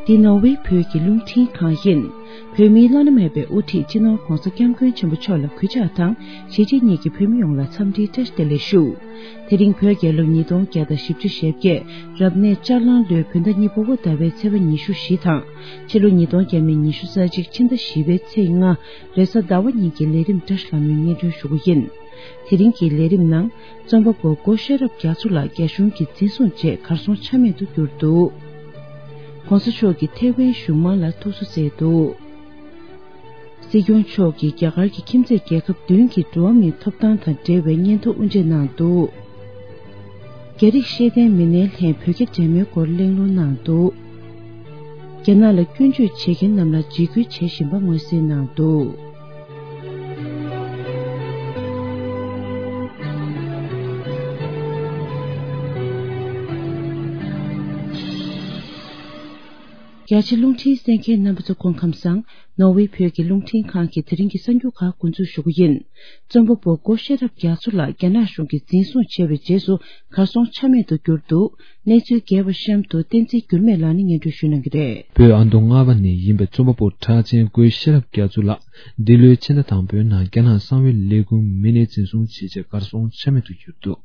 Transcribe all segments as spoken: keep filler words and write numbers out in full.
འདི་ནོར་ཝེ་བོད་ཀྱི་རླུང་འཕྲིན་ཁང་ཡིན། བོད་མིའི་བླ་ན་མེད་པའི་དབུ་ཁྲིད་སྤྱི་ནོར་ྋགོང་ས་ྋསྐྱབས་མགོན་ཆེན་པོ་མཆོག་ལ་གུས་ཕྱག་དང་གཞིས་བྱེས་གཉིས་ཀྱི་བོད་མི་ཡོངས་ལ་འཚམས་འདྲིའི་བཀྲ་ཤིས་བདེ་ལེགས་ཞུ། དེ་རིང་བོད་རྒྱལ་ལོ་ཉིས་སྟོང་བརྒྱ་དང་བཞི་བཅུ་ཞེ་བརྒྱད་རབ་གནས་ལྕགས་གླང་ལོའི་བོད་ཟླ་གཉིས་པ་པོ་ཟླ་བའི་ཚེས་པ་ཉི་ཤུ་བཞི་དང་། ཕྱི་ལོ་ཉིས་སྟོང་ཉི་ཤུ་རྩ་གཅིག་ཕྱི་ཟླ་བཞི་པའི་ཚེས་ལྔ་རེས་གཟའ་ཟླ་བ་ཉིན་གྱི་ལས་རིམ་བཀྲ་ཤིས་ལྷ་མོའི་སྙན་སྒྲོན་ཞུ་རྒྱུ་ཡིན། དེ་རིང་གི་ལས་རིམ་ནང་རྩོམ་པ་པོ་སྒོ་ཤེས་རབ་རྒྱ་མཚོ་ལགས་རྒྱ་གཞུང་གིས་འཛིན་བཟུང་རྗེས་གར་སོང་ཆ་མེད་དུ་གྱུར་འདུག ྋགོང་ས་མཆོག་གིས་ཐེ་ཝན་གཞུང་མང་ལ་ཐུགས་གསོ་མཛད་འདུག་སྲིད་སྐྱོང་མཆོག་གིས་རྒྱ་གར་གྱི་ཁྱིམ་མཚེས་རྒྱལ་ཁབ་བདུན་གྱི་འགྲོ་བ་མིའི་ཐོབ་ཐང་དང་འབྲེལ་བའི་སྙན་ཐོ་དབུ་འབྱེད་གནང་འདུག་རྒྱ་རིགས་ཤེས་ལྡན་མི་སྣའི་ལྷན་བོད་རྒྱ་འབྲེལ་མོལ་སྐོར་གླེང་སློང་གནང་འདུག་རྒྱ་ནག་ལ་སྐྱོན་བརྗོད་བྱེད་མཁན་རྣམས་ལ་འཇིགས་སྐུལ་བྱེད་བཞིན་པ་མངོན་གསལ་གནང་འདུག་རྒྱ་ཆེ་རླུང་འཕྲིན་གསན་མཁན་རྣམ་པ་ཚོ་སྐུ་ཁམས་བཟང་། ནོར་ཝེ་བོད་ཀྱི་རླུང་འཕྲིན་ཁང་གི་དེ་རིང་གི་གསར་འགྱུར་ཁག་འགོ་འཛུགས་ཞུ་གི་ཡིན། རྩོམ་པ་པོ་སྒོ་ཤེས་རབ་རྒྱ་མཚོ་ལགས་རྒྱ་ནག་གཞུང་གིས་འཛིན་བཟུང་བྱས་པའི་རྗེས་སུ་གར་སོང་ཆ་མེད་དུ་གྱུར་འདུག་གནས་ཚུལ་རྒྱས་པ་གཤམ་དུ་བསྟན་འཛིན་འགྱུར་མེད་ལགས་ནས་སྙན་སྒྲོན་ཞུ་གནང་གི་རེད། བོད་ཨ་མདོ་རྔ་པ་ནས་ཡིན་པའི་རྩོམ་པ་པོ་གྲགས་ཅན་སྒོ་ཤེས་རབ་རྒྱ་མཚོ་ལགས་འདི་ལོའི་ཕྱི་ཟླ་དང་པོའི་ནང་རྒྱ་ནག་གསང་བའི་ལས་ཁུངས་མི་སྣས་འཛིན་བཟུང་བྱས་རྗེས་གར་སོང་ཆ་མེད་དུ་གྱུར་འདུག་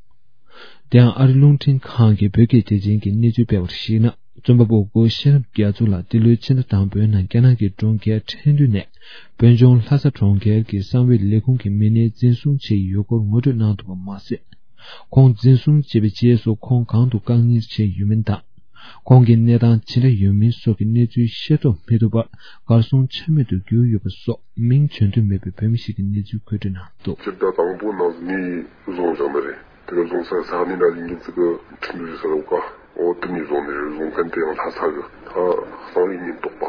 དེ་ཡང་ཨ་རི་རླུང་འཕྲིན་ཁང་གི་བོད་སྐད་སྡེ་ཚན་གྱིས་གནས་ཚུལ་སྤེལ་བར་གཞིགས་ན། རྩོམ་པ་པོ་སྒོ་ཤེས་རབ་རྒྱ་མཚོ་ལགས་འདི་ལོའི་ཕྱི་ཟླ་དང་པོའི་ནང་རྒྱ་ནག་གི་གྲོང་ཁྱེར་ཁྲེང་ཏུའུ་ནས་བོད་ལྗོངས་ལྷ་ས་གྲོང་ཁྱེར་གྱི་གསང་བའི་ལས་ཁུངས་ཀྱི་མི་སྣས་འཛིན་བཟུང་བྱས་ཡོད་སྐོར་ངོ་སྤྲོད་གནང་འདུག་པ་མ་ཟད། ཁོང་འཛིན་བཟུང་བྱས་པའི་རྗེས་སུ་ཁོང་གང་དུ་བཀག་ཉར་བྱས་ཡོད་མིན་དང་། ཁོང་གི་གནས་སྟངས་ཇི་འདྲ་ཡོད་མིན་སོགས་ཀྱི་གནས་ཚུལ་ཤེས་རྟོགས་མི་ཐུབ་པར་གར་སོང་ཆ་མེད་དུ་གྱུར་ཡོད་པ་སོགས་མིང་བརྗོད་འདོད་མེད་པའི་བོད་མི་ཞིག་གིས་གནས་ཚུལ་མཁོ་སྤྲོད་གནང་འདུག་སྤྱིར་བཏང་དང་པོ་ནང་ནས་བཟུང་བཞག་ནི་རེད། དེ་ག་བཟུང་ས་ས་གནས་ན་ཡིན་གྱི་ཙི་གི་ཁྲིན་ཏུའུ་ས་ལ་བཀའ་འོ་དེ་ནས་བཟུང་ནས་བཟུང་མཁན་དེ་ཡང་ལྷ་ས་གི་ད་གསང་བའི་ཉེན་རྟོག་པ་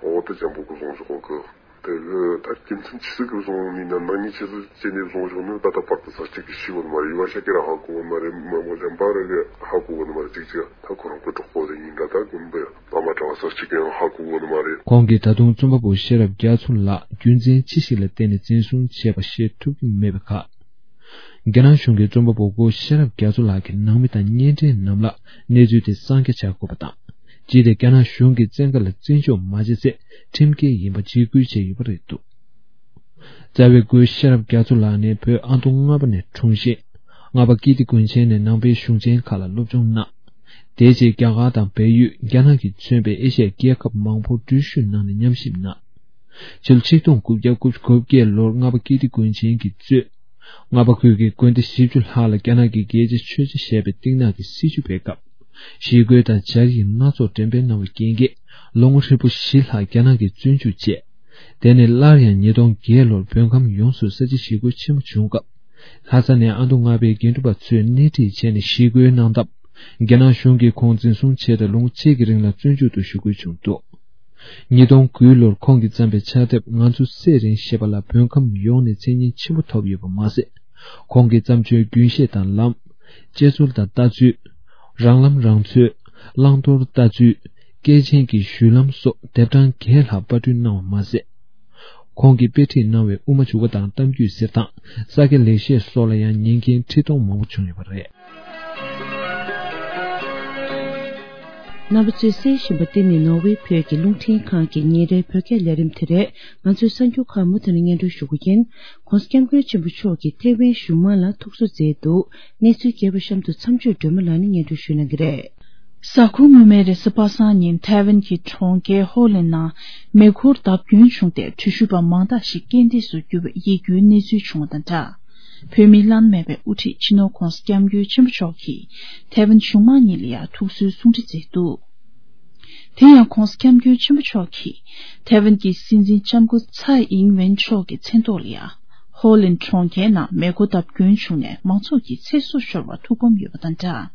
འོ་དེ་ཅན་པོ་གི་བཟུང་བཞག་གི་དེ་གི་ད་རྒྱུ་མཚན་ཆི་ཟིག་གི་བཟུང་ནི་ན་ནང་ཉིད་ཆི་ཟིག་བྱས་ནས་བཟུང་བཞག་ནི་ད་ལྟ་བར་དུ་ས་གཅིག་གི་ཤི་བོ་ནི་མ་རེད། ཡུ་བ་ཤ་ཀེ་ར་ཧ་གོ་བོ་ནི་མ་རེད། མ་མོ་ལན་པ་ར་གི་ཧ་གོ་བོ་ནི་མ་རེད། གཅིག་གཅིག་ད་ཁོ་རང་གི་གྲོགས་པོ་དེ་ཡིན་ད་ད་གོམ་པ་པ་མ་གྲྭ་བ་ས་གཅིག་གི་ཡང་ཧ་གོ་བོ་ནི་མ་རེད། ཁོང་གིས་ད་དུང་རྩོམ་པ་པོ་ཤེས་རབ་རྒྱ་མཚོ་ལགས་རྒྱུ་མཚན་ཅི་ཞིག་ལ་བརྟེན་ནས་འཛིན་བཟུང་བྱས་པ་ཤེས་ཐུབ་ཀྱི་མེད་པའི་ཁར། རྒྱ་ནག་གཞུང་གིས་རྩོམ་པ་པོ་སྒོ་ཤེས་རབ་རྒྱ་མཚོ་ལགས་ཀྱི་ནང་མི་དང་གཉེན་འབྲེལ་རྣམས་ལ་གནས་ཚུལ་དེ་གསང་རྒྱ་བྱ་དགོས་པ་དང་། སྤྱིར་ཏེ་རྒྱ་ནག་གཞུང་གི་བཙན་བཀའ་ལ་བརྩི་འཇོག་མ་བྱས་ཚེ་ཁྲིམས་འགལ་ཡིན་པ་འཇིགས་སྐུལ་བྱས་ཡོད་པ་རེད་འདུག་རྩ་བའི་སྒོ་ཤེས་རབ་རྒྱ་མཚོ་ལགས་ནི་བོད་ཨ་མདོ་རྔ་པ་ནས་འཁྲུངས་ཤིང་། རྔ་པ་ཀིརྟི་དགོན་ཆེན་ནས་ནང་པའི་གཞུང་ཆེན་ཁག་ལ་སློབ་སྦྱོང་གནང་། དེའི་རྗེས་རྒྱ་གར་དང་བལ་ཡུལ། རྒྱ་ནག་གིས་མཚོན་པའི་ཨེ་ཤ་ཡའི་རྒྱལ་ཁབ་མང་པོར་འགྲུལ་བཞུད་གནང་ནས་ཉམས་ཞིབ་གནང་། ཕྱི་ལོ་ཆིག་སྟོང་དགུ་བརྒྱ་དགུ་བཅུ་གོ་བརྒྱད་ལོར་རྔ་པ་ཀིརྟི་དགོན་ཆེན་གྱིས་གཙོས། རྔ་པ་ཁུལ་གྱི་དགོན་སྡེ་བཞི་བཅུ་ལྷག་ལ་རྒྱ་ནག་གི་རྒྱལ་སྤྱིའི་ཆོས་ཆེན་ཞེས་པའི་གཏིང་ནག་གི་སྲིད་བྱུས་སྤེལ་སྐབས། ཞི་རྒོལ་དང་སྦྱར་ཡིག་སྣ་ཚོགས་འགྲེམས་སྤེལ་གནང་བའི་རྐྱེན་གྱིས། ལོ་ངོ་ཧྲིལ་པོ་བཞི་ལྷག་རྒྱ་ནག་གིས་བཙོན་འཇུག་བྱས། དེ་ནས་སླར་ཡང་ཉིས་སྟོང་བརྒྱད་ལོར་བོད་ཁམས་ཡོངས་སུ་ས་བྱི་ཞི་རྒོལ་ཆེན་མོ་བྱུང་སྐབས། ལྷ་ས་ནས་ཨ་མདོ་རྔ་པའི་དགེ་འདུན་པ་ཚོས་སྣེ་ཁྲིད་བྱས་ནས་ཞི་རྒོལ་གནང་སྟབས། རྒྱ་ནག་གཞུང་གིས་ཁོང་འཛིན་བཟུང་བྱས་ཏེ་ལོ་ངོ་གཅིག་གི་རིང་ལ་བཙོན་འཇུག་ཏུ་ཞུ་དགོས་བྱུང་འདུག་ཉིས་སྟོང་དགུ་ལོར་ཁོང་གིས་བརྩམས་པའི་ཕྱག་དེབ་ང་ཚོ་སད་རན་ཞེས་པ་ལ་བོད་ཁམས་ཡོངས་ནས་མཚན་སྙན་ཆེན་པོ་ཐོབ་ཡོད་པ་མ་ཟད། ཁོང་གི་བརྩམས་ཆོས་རྒྱུན་ཤེས་དང་ལམ། དཔྱད་འཚོལ་དང་ལྟ་ཚུལ། རང་ལམ་རང་འཚོལ། བླང་དོར་ལྟ་ཚུལ། སྐྱེས་ཆེན་གྱི་གཞུང་ལམ་སོགས་དེབ་གྲངས་བརྒྱད་ལྷག་པར་སྐྲུན་གནང་བ་མ་ཟད། ཁོང་གིས་དཔེ་ཁྲིད་གནང་བའི་དབུ་མ་འཇུག་པ་དང་གཏམ་རྒྱུད་གསེར་ཐང་། ས་སྐྱ་ལེགས་བཤད་སོགས་ལ་ཡང་ཉན་མཁན་ཁྲི་སྟོང་མང་པོ་བྱུང་ཡོད་པ་རེད། རྣམ་པ་ཚོས་གསན་བཞིན་པ་འདི་ནི་ནོར་ཝེ་བོད་ཀྱི་རླུང་འཕྲིན་ཁང་གི་ཉིན་རེའི་བོད་སྐད་ལས་རིམ་དེ་རེད། ང་ཚོའི་གསར་འགྱུར་ཁག་མུ་མཐུད་ནས་སྙན་སྒྲོན་ཞུ་གི་ཡིན། ྋགོང་ས་ྋསྐྱབས་མགོན་ཆེན་པོ་མཆོག་གིས་ཐེ་ཝན་གཞུང་མང་ལ་ཐུགས་གསོ་མཛད་འདུག་གནས་ཚུལ་རྒྱས་པ་གཤམ་དུ་མཚམས་གཅོད་སྒྲོལ་མ་ལགས་ནས་སྙན་སྒྲོན་ཞུ་གནང་གི་རེད། གཟའ་འཁོར་སྔོན་མའི་རེས་གཟའ་པ་སངས་ཉིན་ཐའེ་ཝན་གྱི་གྲོང་ཁྱེར་ཧོ་ལན་ནང་མེ་འཁོར་བརྡབ་སྐྱོན་བྱུང་སྟེ་འགྲུལ་བཞུད་པ་མང་དག་ཞིག་རྐྱེན་འདས་སུ་གྱུར་བའི་ཡིད་སྐྱོའི་གནས་ཚུལ་བྱུང་བ་དང་སྦྲགས། བོད་མིའི་བླ་ན་མེད་པའི་དབུ་ཁྲིད་སྤྱི་ནོར་ྋགོང་ས་ྋསྐྱབས་མགོན་ཆེན་པོ་མཆོག་གིས་ཐའེ་ཝན་གཞུང་མང་གཉིས་ལ་ཡང་ཐུགས་གསོའི་གསུང་འཕྲིན་མཛད་འདུག་དེ་ཡང་ྋགོང་ས་ྋསྐྱབས་མགོན་ཆེན་པོ་མཆོག་གིས་ཐའེ་ཝན་གྱི་སྲིད་འཛིན་ལྕམ་སྐུ་ཚའེ་ཨིང་ཝེན་མཆོག་གི་མཚན་ཐོག་ལ་ཡང་ཧོ་ལན་གྲོང་ཁྱེར་ནང་མེ་འཁོར་བརྡབ་སྐྱོན་བྱུང་ནས་མང་ཚོགས་ཀྱི་ཚེ་སྲོག་ཤོར་བར་ཐུགས་ཕམ་ཡོད་པ་དང་སྦྲགས།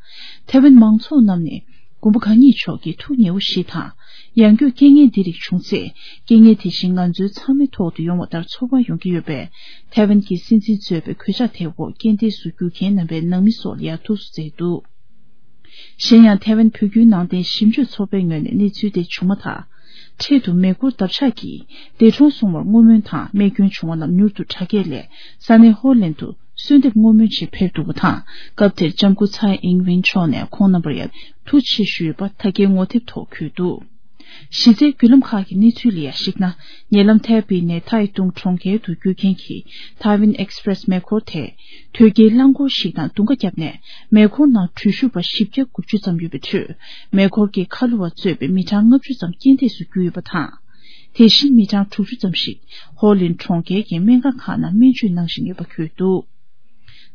ཐའེ་ཝན་མང་ཚོགས་རྣམས་ནས་མགོན་པོ་གང་ཉིད་མཆོག་གི་ཐུགས་ཉེ་བོ་ཞིག་དང་། ཡང་སྒོས་རྐྱེན་ངན་འདི་རིགས་བྱུང་ཚེ་རྐྱེན་ངན་དེ་བཞིན་ང་ཚོའི་ཚང་མའི་ཐོག་ཏུ་ཡོང་བ་ལྟར་ཚོར་བ་ཡོང་གི་ཡོད་པས། ཐའེ་ཝན་གྱི་སྲིད་འཛིན་གཙོས་པའི་གོད་ཆག་དེའི་འོག་རྐྱེན་འདས་སུ་གྱུར་མཁན་རྣམ་པའི་ནང་མི་སོགས་ལ་ཡང་ཐུགས་གསོ་མཛད་འདུག་གཞན་ཡང་ཐའེ་ཝན་བོད་བརྒྱུད་ནང་བསྟན་ཞིབ་འཇུག་ཚོགས་པའི་ངོས་ནས་གནས་ཚུལ་དེ་བྱུང་མ་ཐག་འཕྲལ་དུ་མེ་འཁོར་འདབ་ཆགས་ཀྱིས་འདས་གྲོངས་སོང་བར་བསྔོ་སྨོན་དང་རྨས་སྐྱོན་བྱུང་བ་རྣམས་མྱུར་དུ་དྲག་སྐྱེད་ལས་ས་གནས་ཧོ་ལན་དུ་གསོལ་འདེབས་བསྔོ་སྨོན་ཆེད་ཕེབས་འདུག་པ་དང་། སྐབས་དེར་ལྕམ་སྐུ་ཚའེ་ཨིང་ཝེན་མཆོག་ནས་ཁོང་རྣམ་པར་ཡང་ཐུགས་ཆེ་ཞུས་པ་ད་སྐྱེལ་ངོ་དེབ་ཐོག་འཁོད་འདུག་གཞི་རྩའི་བརྒྱུད་ལམ་ཁག་གི་གནས་ཚུལ་ལ་ཡང་གཞིགས་ན། ཉེ་ལམ་ཐའེ་པེ་ནས་ཐའེ་ཏུང་གྲོང་ཁྱེར་དུ་རྒྱུག་མཁན་གྱི་Taiwan Express་མེ་འཁོར་དེས། དོས་སྐྱེལ་རླངས་འཁོར་ཞིག་དང་རྡུང་ཁ་བརྒྱབ་ནས། མེ་འཁོར་ནང་འགྲུལ་བཞུད་པ་བཞི་བརྒྱ་དགུ་བཅུ་ཙམ་ཡོད་པའི་ཁྲོད། མེ་འཁོར་གྱི་ཁ་ལོ་བ་གཙོས་པའི་མི་གྲངས་ལྔ་བཅུ་ཙམ་རྐྱེན་འདས་སུ་གྱུར་ཡོད་པ་དང་། དེ་བཞིན་མི་གྲངས་དྲུག་ཅུ་ཙམ་ཞིག་ཧོ་ལིན་གྲོང་ཁྱེར་གྱི་སྨན་ཁང་ཁག་ནང་སྨན་བཅོས་གནང་བཞིན་ཡོད་པ་འཁོད་འདུག་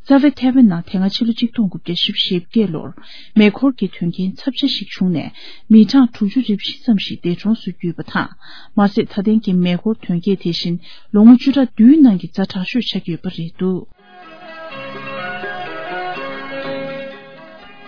རྩ་བའི་ཐའེ་ཝན་ནང་དེ་སྔ་ཕྱི་ལོ་ཆིག་སྟོང་དགུ་བརྒྱ་བཞི་བཅུ་ཞེ་བརྒྱད་ལོར་མེ་འཁོར་གྱི་དོན་རྐྱེན་ཚབས་ཆེ་ཞིག་བྱུང་ནས། མི་གྲངས་དྲུག་ཅུ་རེ་བཞི་ཙམ་ཞིག་འདས་གྲོངས་སུ་གྱུར་ཡོད་པ་དང་། མ་ཟད། ད་ཐེངས་ཀྱི་མེ་འཁོར་དོན་རྐྱེན་དེ་བཞིན་ལོ་ངོ་བཅུ་ཕྲག་བདུན་ནང་གི་ཛ་དྲག་ཤོས་ཆགས་ཀྱི་ཡོད་པ་རེད་འདུག་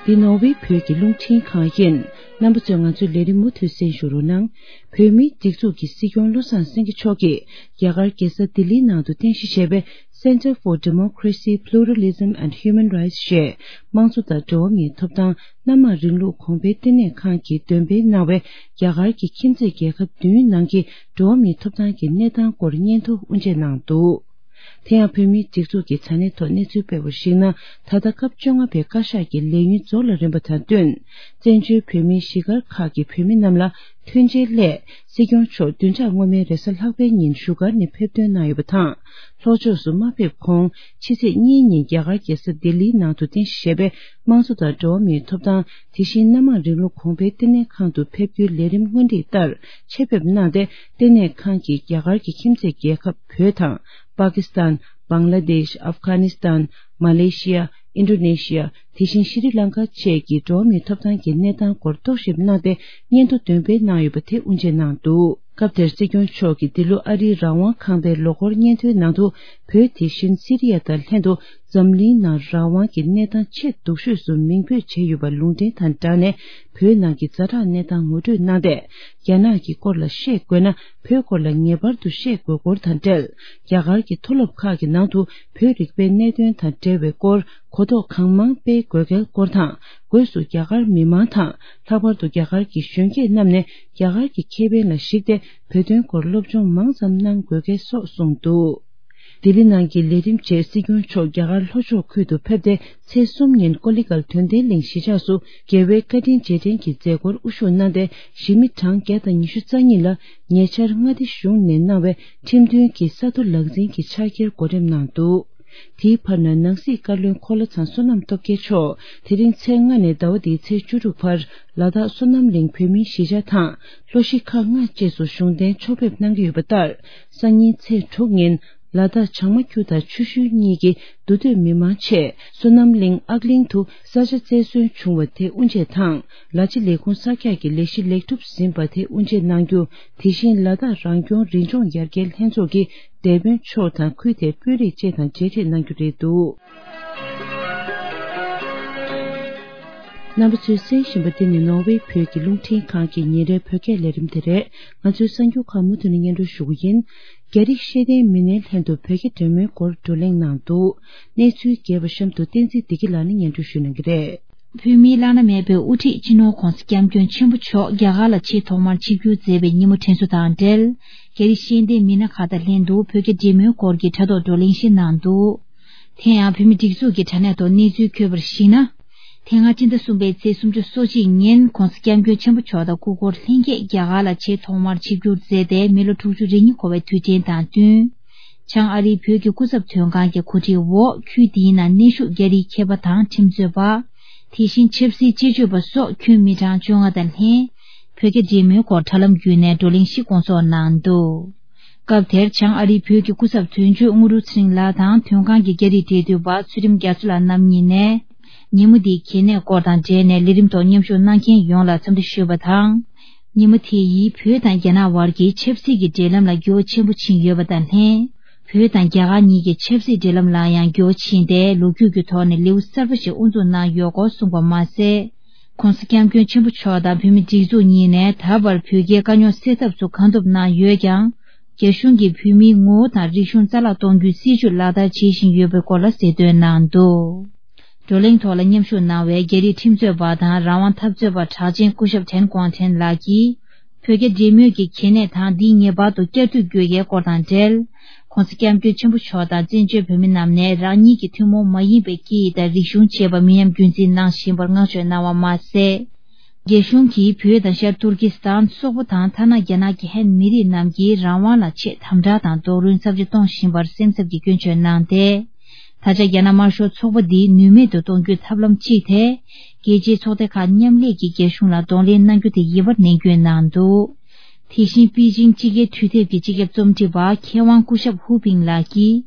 འདི་ནོར་ཝེ་བོད་ཀྱི་རླུང་འཕྲིན་ཁང་ཡིན། རྣམ་པ་ཚོས་ང་ཚོའི་ལས་རིམ་མུ་མཐུད་གསན་ཞུ་རོགས་གནང་། བོད་མིའི་སྒྲིག་འཛུགས་ཀྱི་སྲིད་སྐྱོང་བློ་བཟང་སེང་གེ་མཆོག་གིས་རྒྱ་གར་རྒྱལ་ས་ལྡི་ལིའི་ནང་དུ་རྟེན་གཞི་བྱས་པའི་Center for Democracy, Pluralism and Human Rights ཞེས་དམངས་གཙོ་དང་འགྲོ་བ་མིའི་ཐོབ་ཐང་སྣ་མང་རིང་ལུགས་གོང་འཕེལ་ལྟེ་གནས་ཁང་གིས་འདོན་སྤེལ་གནང་བའི་རྒྱ་གར་གྱི་ཁྱིམ་མཚེས་རྒྱལ་ཁབ་བདུན་ནང་གི་འགྲོ་བ་མིའི་ཐོབ་ཐང་གི་གནས་སྟངས་སྐོར་སྙན་ཐོ་དབུ་འབྱེད་གནང་འདུག་དེ་ཡང་བོད་མིའི་སྒྲིག་འཛུགས་ཀྱི་དྲ་གནས་ཐོག་གནས་ཚུལ་སྤེལ་བར་གཞིགས་ན། ད་ལྟ་སྐབས་བཅོ་ལྔ་པའི་བཀའ་ཤག་གི་ལས་ཡུན་རྫོགས་ལ་རན་པ་དང་བསྟུན། བཙན་བྱོལ་བོད་མིའི་གཞིས་སྒར་ཁག་གི་བོད་མི་རྣམས་ལ་མཐུན་རྐྱེན་སླད། སྲིད་སྐྱོང་མཆོག་བདུན་ཕྲག་སྔོན་མའི་རེས་གཟའ་ལྷག་པའི་ཉིན་བཞུགས་སྒར་ནས་ཕེབས་ཐོན་གནང་ཡོད་པ་དང་། ལྷོ་ཕྱོགས་སུ་མ་ཕེབས་གོང་། ཕྱི་ཚེས་གཉིས་ཉིན་རྒྱ་གར་རྒྱལ་ས་ལྡི་ལིའི་ནང་དུ་རྟེན་གཞི་བྱས་པའི་དམངས་གཙོ་དང་འགྲོ་བ་མིའི་ཐོབ་ཐང་། དེ་བཞིན་སྣ་མང་རིང་ལུགས་གོང་འཕེལ་ལྟེ་གནས་ཁང་དུ་ཕེབས་རྒྱུའི་ལས་རིམ་སྔོན་སྒྲིག་ལྟར་ཆེད་ཕེབས་གནང་སྟེ། ལྟེ་གནས་ཁང་གིས་རྒྱ་གར་གྱི་ཁྱིམ་མཚེས་རྒྱལ་ཁབ་བོད་དང་། པ་ཀི་སི་ཐན། བང་ལ་དེཤ། ཨབ་གྷ་ནི་སི་ཐན། མ་ལེ་ཤི་ཡ། ཨིན་ཌོ་ནེ་ཤི་ཡ། དེ་བཞིན་ཤི་རི་ལང་ཀ་བཅས་ཀྱི་འགྲོ་བ་མིའི་ཐོབ་ཐང་གི་གནས་སྟངས་སྐོར་རྟོག་ཞིབ་གནང་སྟེ། སྙན་ཐོ་འདོན་སྤེལ་གནང་ཡོད་པ་དེ་དབུ་འབྱེད་གནང་འདུག་སྐབས་དེར་སྲིད་སྐྱོང་མཆོག་གིས་འདི་ལོ་ཨ་རིའི་རང་དབང་ཁང་པའི་ལོ་འཁོར་སྙན་ཐོའི་ནང་དུ། བོད་དེ་བཞིན་སི་རི་ཡ་དང་ལྷན་དུ་འཛམ་གླིང་ནང་རང་དབང་གི་གནས་སྟངས་ཆེས་སྡུག་ཤོས་སུ་མིང་འབོད་བྱས་ཡོད་པ་ལུང་འདྲེན་དང་སྦྲགས་ནས། བོད་ནང་གི་ཛ་དྲག་གནས་སྟངས་ངོ་སྤྲོད་གནང་སྟེ། རྒྱ་ནག་གི་སྐོར་ལ་བཤད་དགོས་ན། བོད་སྐོར་ལ་ངེས་པར་དུ་བཤད་དགོས་སྐོར་དང་འབྲེལ། རྒྱ་གར་གྱི་མཐོ་སློབ་ཁག་གི་ནང་དུ་བོད་རིག་པའི་གནད་དོན་དང་འབྲེལ་བའི་སྐོར་གོ་རྟོགས་གང་མང་སྤེལ་དགོས་གལ་སྐོར་དང་། སྒོས་སུ་རྒྱ་གར་མི་མང་དང་། ལྷག་པར་དུ་རྒྱ་གར་གྱི་གཞོན་སྐྱེས་རྣམས་ནས་རྒྱ་གར་གྱི་ཁེ་ཕན་ལ་གཞིགས་ཏེ། བོད་དོན་སྐོར་སློབ་སྦྱོང་མང་ཙམ་གནང་དགོས་གལ་སོགས་གསུངས་འདུག་ལྡི་ལི་ནང་གི་ལས་རིམ་རྗེས། སྲིད་སྐྱོང་མཆོག་རྒྱ་གར་ལྷོ་ཕྱོགས་ཁུལ་དུ་ཕེབས་ཏེ། ཚེས་གསུམ་ཉིན་ཀོ་ལི་གལ་དོན་ལྡན་གླིང་གཞིས་ཆགས་སུ་རྒྱལ་བའི་བཀའ་དྲིན་རྗེས་དྲན་གྱི་མཛད་སྒོར་དབུ་བཞུགས་གནང་སྟེ། གཞིས་མི་གྲངས་བརྒྱ་དང་ཉི་ཤུ་རྩ་གཉིས་ལ་ཉེ་ཆར་མངའ་སྡེ་གཞུང་ནས་གནང་བའི་ཁྲིམས་མཐུན་གྱི་ས་རྡོ་ལག་འཛིན་གྱི་ཕྱག་འཁྱེར་གོ་སྒྲིམ་གནང་འདུག་དེའི་བར་ན། ནང་སྲིད་བཀའ་བློན་འཁོར་ལོ་ཚང་བསོད་ནམས་སྟོབས་རྒྱལ་མཆོག་དེ་རིང་ཚེས་ལྔ་ནས་ཟླ་བ་འདིའི་ཚེས་བཅུ་དྲུག་བར། ལ་དྭགས་བསོད་ནམས་གླིང་བོད་མིའི་གཞིས་ཆགས་དང་། ལྷོ་གཞིས་ཁག་ལྔ་བཅས་སུ་གཞུང་རྟེན་ཕྱོགས་ཕེབས་གནང་གི་ཡོད་པ་ལྟར། སང་ཉིན་ཚེས་དྲུག་ཉིན། ལ་དྭགས་བྱང་མ་ཁྱུ་དང་ཆུ་ཤུལ་གཉིས་ཀྱི་འདུ་སྡོད་མི་མང་ཆེད། བསོད་ནམས་གླིང་ཨག་གླིང་དུ་ས་ཆ་བཙན་བཟུང་བྱུང་བ་དེ་དབུ་འབྱེད་དང་། ལ་ཕྱི་ལས་ཁུངས་གསར་རྒྱག་གི་ལས་གཞི་ལེགས་གྲུབ་ཟིན་པ་དེ་དབུ་འབྱེད་གནང་རྒྱུ། དེ་བཞིན་ལ་དྭགས་རང་སྐྱོང་རི་ལྗོངས་ཡར་རྒྱས་ལྷན་ཚོགས་ཀྱི་སྡེ་དཔོན་མཆོག་དང་ཁུལ་དེའི་དཔོན་རིགས་བཅས་དང་མཇལ་འཕྲད་གནང་རྒྱུ་རེད་འདུག་རྣམ་པ་ཚོས་གསན་བཞིན་པ་འདི་ནི་ནོར་ཝེ་བོད་ཀྱི་རླུང་འཕྲིན་ཁང་གི་ཉིན་རེའི་བོད་སྐད་ལས་རིམ་དེ་རེད། ང་ཚོའི་གསར་འགྱུར་ཁག་མུ་མཐུད་ནས་སྙན་སྒྲོན་ཞུ་གི་ཡིན། རྒྱ་རིགས་ཤེས་ལྡན་མི་སྣའི་ལྷན་དུ་བོད་རྒྱ་འབྲེལ་མོལ་སྐོར་བགྲོ་གླེང་གནང་འདུག་གནས་ཚུལ་རྒྱས་པ་གཤམ་དུ་བསྟན་འཛིན་བདེ་སྐྱིད་ལགས་ནས་སྙན་སྒྲོན་ཞུ་གནང་གི་རེད། བོད་མིའི་བླ་ན་མེད་པའི་དབུ་ཁྲིད་སྤྱི་ནོར་༧གོང་ས་༧སྐྱབས་མགོན་ཆེན་པོ་མཆོག་རྒྱ་གར་ལ་ཆེས་ཐོག་མར་ཆིབས་བསྒྱུར་མཛད་པའི་ཉིན་མོ་དྲན་གསོ་དང་འབྲེལ། རྒྱ་རིགས་ཤེས་ལྡན་མི་སྣ་ཁག་དང་ལྷན་དུ་བོད་རྒྱ་འབྲེལ་མོལ་སྐོར་གྱི་དྲ་ཐོག་བགྲོ་གླེང་ཞིག་གནང་འདུག་དེ་ཡང་བོད་མི་སྒྲིག་འཛུགས་ཀྱི་དྲ་གནས་ཐོག་གནས་ཚུལ་འཁོད་པར་གཞིགས་ན། དེ་སྔ་སྤྱི་ཟླ་གསུམ་པའི་ཚེས་སུམ་ཅུ་སོ་གཅིག་ཉིན་༧གོང་ས་༧སྐྱབས་མགོན་ཆེན་པོ་མཆོག་དང་སྐུ་འཁོར་ལྷན་རྒྱས་རྒྱ་གར་ལ་ཆེས་ཐོག་མར་ཆིབས་བསྒྱུར་མཛད་དེ་མི་ལོ་དྲུག་ཅུ་རེ་གཉིས་འཁོར་བའི་དུས་དྲན་དང་བསྟུན། བྱང་ཨ་རིའི་བོད་ཀྱི་སྐུ་ཚབ་དོན་ཁང་གི་གོ་སྒྲིག་འོག་ཁུལ་འདིའི་ནང་གནས་བཞུགས་རྒྱ་རིགས་མཁས་པ་དང་ཁྲིམས་རྩོད་པ། དེ་བཞིན་ཆབ་སྲིད་དཔྱད་བརྗོད་པ་སོགས་ཁྱོན་མི་གྲངས་བཅོ་ལྔ་དང་ལྷན། བོད་རྒྱ་འབྲེལ་མོལ་སྐོར་དྲ་ལམ་བརྒྱུད་ནས་བགྲོ་གླེང་ཞིག་སྐོང་ཚོགས་གནང་འདུག་སྐབས་དེར་བྱང་ཨ་རིའི་བོད་ཀྱི་སྐུ་ཚབ་དོན་གཅོད་དངོས་གྲུབ་ཚེ་རིང་ལགས་དང་དོན་ཁང་གི་རྒྱ་རིགས་འབྲེལ་མཐུད་པ་ཚུལ་ཁྲིམས་རྒྱ་མཚོ་ལགས་རྣམ་གཉིས་ནས། ཉིན་མོ་འདིའི་གལ་གནད་སྐོར་དང་འབྲེལ་ནས་ལས་རིམ་ཐོག་མཉམ་ཞུགས་གནང་མཁན་ཡོངས་ལ་འཚམས་འདྲི་ཞུས་པ་དང་། ཉིན་མོ་དེ་ཡིས་བོད་དང་རྒྱ་ནག་བར་གྱི་ཆབ་སྲིད་ཀྱི་འབྲེལ་ལམ་ལ་འགྱུར་བ་ཆེན་པོ་ཕྱིན་ཡོད་པ་དང་ལྷན། བོད་དང་རྒྱ་གར་གཉིས་ཀྱི་ཆབ་སྲིད་འབྲེལ་ལམ་ལ་ཡང་འགྱུར་བ་ཕྱིན་ཏེ་ལོ་རྒྱུས་ཀྱི་ཐོག་ནས་ལེའུ་གསར་པ་ཞིག་དབུ་འཛུགས་གནང་ཡོད་སྐོར་གསུངས་པ་མ་ཟད། ༧གོང་ས་༧སྐྱབས་མགོན་ཆེན་པོ་མཆོག་དང་བོད་མི་སྒྲིག་འཛུགས་གཉིས་ནས་ད་བར་བོད་རྒྱའི་དཀའ་རྙོག་སེལ་ཐབས་སུ་གང་ཐུབ་གནང་ཡོད་ཀྱང་། རྒྱ་གཞུང་གིས་བོད་མིའི་ངོ་བོ་དང་རིག་གཞུང་རྩ་བརླག་གཏོང་རྒྱུའི་སྲིད་བྱུས་ལག་བསྟར་བྱེད་བཞིན་ཡོད་པའི་སྐོར་ལ་གསལ་སྟོན་གནང་འདུག་བགྲོ་གླེང་ཐོག་ལ་མཉམ་ཞུགས་གནང་བའི་རྒྱ་རིགས་ཁྲིམས་རྩོད་པ་དང་རང་དབང་འཐབ་རྩོད་པ་གྲགས་ཅན་སྐུ་ཞབས་ཐན་ཀོང་ཐན་ལགས་ཀྱིས། བོད་རྒྱ་འབྲེལ་མོལ་གྱི་གལ་གནད་དང་འདིས་ངེས་པར་དུ་བསྐྱར་མཐུད་དགོས་ཡའི་སྐོར་དང་འབྲེལ། ༧གོང་ས་༧སྐྱབས་མགོན་ཆེན་པོ་མཆོག་དང་བཙན་བྱོལ་བོད་མི་རྣམས་ནས་རང་ཉིད་ཀྱི་ཐུན་མོང་མ་ཡིན་པའི་སྐད་ཡིག་དང་རིག་གཞུང་བཅས་པ་མི་ཉམས་རྒྱུན་འཛིན་གནང་བཞིན་པར་བསྔགས་བརྗོད་གནང་བ་མ་ཟད། རྒྱ་གཞུང་གིས་བོད་དང་ཤར་ཏུར་ཀི་སི་ཐན་སོག་པོ་དང་ཐ་ན་རྒྱ་ནག་གི་ཧན་མི་རིགས་རྣམས་ཀྱི་རང་དབང་ལ་ཆེས་དམ་དྲག་དང་རྡོག་རོལ་ཚབས་ཆེ་གཏོང་བཞིན་པར་སེམས་འཚབ་ཀྱི་སྐྱོན་བརྗོད་གནང་སྟེ། ད་ཆ་རྒྱ་ནག་དམར་ཤོག་ཚོགས་པ་འདི་ནུས་མེད་དུ་གཏོང་རྒྱུའི་ཐབས་ལམ་གཅིག་དེ། རྒྱལ་སྤྱིའི་ཚོགས་སྡེ་ཁག་མཉམ་ལས་ཀྱིས་རྒྱ་གཞུང་ལ་གདོང་ལེན་གནང་རྒྱུ་དེ་ཡིན་པར་ནན་སྐྱོན་གནང་འདུག་དེ་བཞིན་པེ་ཅིང་སྤྱི་ཁྱབ་འཕྲུལ་དེབ་ཀྱི་སྤྱི་ཁྱབ་རྩོམ་སྒྲིག་པ་མཁས་དབང་སྐུ་ཞབས་ཧུ་པིང་ལགས་ཀྱིས།